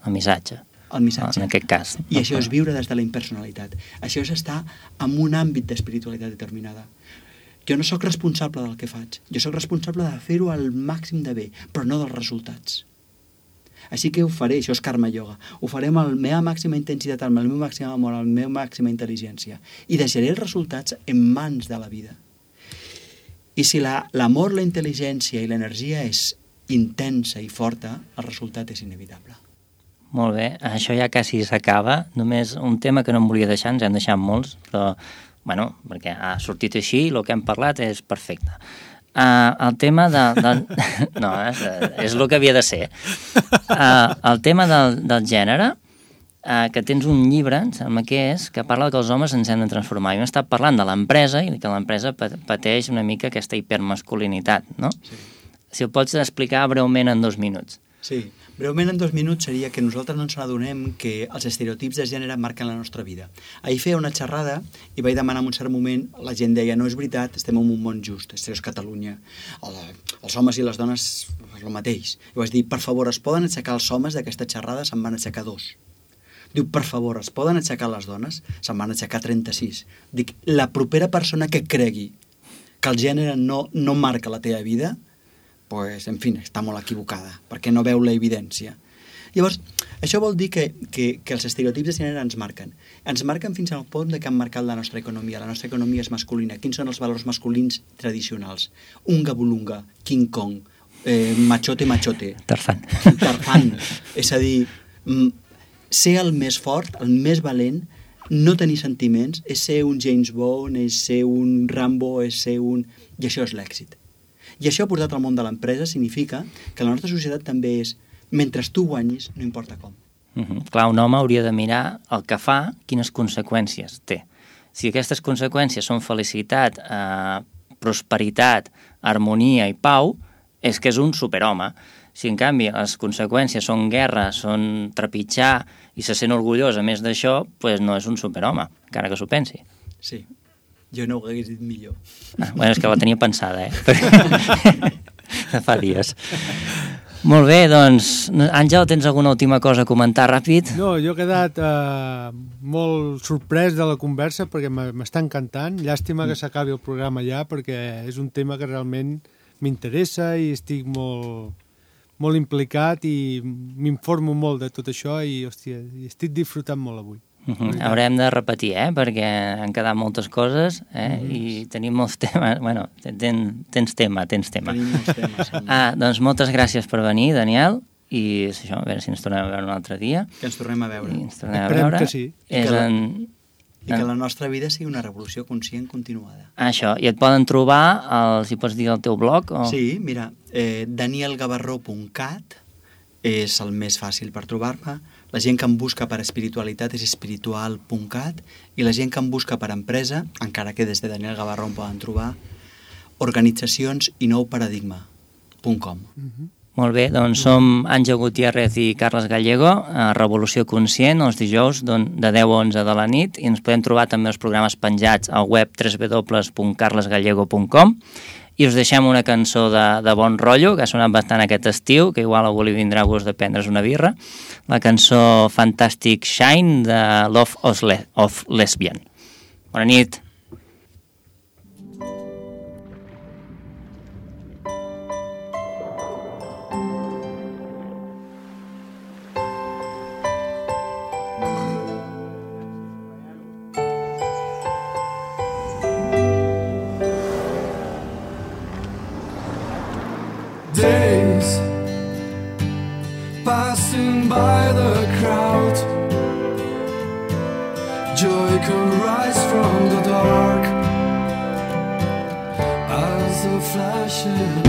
El missatge. El missatge. En aquest cas. I això és viure des de la impersonalitat. Això és estar en un àmbit d'espiritualitat determinada. Jo no sóc responsable del que faig. Jo sóc responsable de fer-ho al màxim de bé, però no dels resultats. Així que ho faré, això és karma yoga, ho faré amb la meva màxima intensitat, amb el meu màxim amor, amb la meva màxima intel·ligència, i deixaré els resultats en mans de la vida. I si l'amor, la, la intel·ligència i l'energia és intensa i forta, el resultat és inevitable. Molt bé, això ja quasi s'acaba. Només un tema que no em volia deixar, ens hem deixat molts, però, bueno, perquè ha sortit així, el que hem parlat és perfecte. Uh, el tema de... de no, és, és el que havia de ser. Uh, el tema del, del gènere, uh, que tens un llibre, em sembla que és, que parla que els homes ens hem de transformar. Jo hem estat parlant de l'empresa i que l'empresa pateix una mica aquesta hipermasculinitat, no? Sí. Si ho pots explicar breument en dos minuts. Sí, breument en dos minuts seria que nosaltres no ens adonem que els estereotips de gènere marquen la nostra vida. Ahir feia una xerrada i vaig demanar en un cert moment, la gent deia, no és veritat, estem en un món just, això és Catalunya, el, els homes i les dones és el mateix. I vaig dir, per favor, es poden aixecar els homes d'aquesta xerrada? Se'n van aixecar dos. Diu, per favor, es poden aixecar les dones? Se'n van aixecar trenta-sis. Dic, la propera persona que cregui que el gènere no, no marca la teva vida, pues, en fi, està molt equivocada, perquè no veu la evidència. Llavors, això vol dir que, que, que els estereotips de gènere ens marquen. Ens marquen fins al punt de que han marcat la nostra economia. La nostra economia és masculina. Quins són els valors masculins tradicionals? Unga bulunga, King Kong, eh, machote machote. Tarzan. Tarzan. És a dir, ser el més fort, el més valent, no tenir sentiments, és ser un James Bond, és ser un Rambo, és ser un... I això és l'èxit. I això portat al món de l'empresa significa que la nostra societat també és, mentre tu guanyis, no importa com. Uh-huh. Clar, un home hauria de mirar el que fa, quines conseqüències té. Si aquestes conseqüències són felicitat, eh, prosperitat, harmonia i pau, és que és un superhome. Si, en canvi, les conseqüències són guerra, són trepitjar i se sent orgullós a més d'això, doncs no és un superhome, encara que s'ho pensi. Sí, jo no ho hagués dit millor. Ah, bueno, és que la tenia pensada, eh? Fa dies. Molt bé, doncs, Àngel, tens alguna última cosa a comentar ràpid? No, jo he quedat eh, molt sorprès de la conversa perquè m'està encantant. Llàstima que s'acabi el programa ja perquè és un tema que realment m'interessa i estic molt, molt implicat i m'informo molt de tot això i, hòstia, i estic disfrutant molt avui. Uh-huh. Haurem de repetir, eh? Perquè han quedat moltes coses eh? Mm-hmm. I tenim molts temes. Bueno, ten, tens tema, tens tema. Tenim molts temes. Sí. Ah, doncs moltes gràcies per venir, Daniel, i això, a veure si ens tornem a veure un altre dia. Que ens tornem a veure. I ens tornem a Esperem veure. que sí. I que, la, en... I que la nostra vida sigui una revolució conscient continuada. Això, i et poden trobar, el, si pots dir el teu blog? O... Sí, mira, eh, daniel gavarró punt cat és el més fàcil per trobar-me. La gent que em busca per espiritualitat és espiritual punt cat i la gent que em busca per empresa, encara que des de Daniel Gavarró em poden trobar, organitzacions i nou paradigma punt com. Mm-hmm. Molt bé, doncs som Àngel Gutiérrez i Carles Gallego, a Revolució Conscient, els dijous de deu a onze de la nit, i ens podem trobar també els programes penjats al web w w w punt carles gallego punt com. I us deixem una cançó de, de bon rotllo, que ha sonat bastant aquest estiu, que igual algú li vindrà a gust de prendre's una birra, la cançó Fantastic Shine de Love of, Le of Lesbian. Bona nit. Days passing by the crowd, joy can rise from the dark as a flash in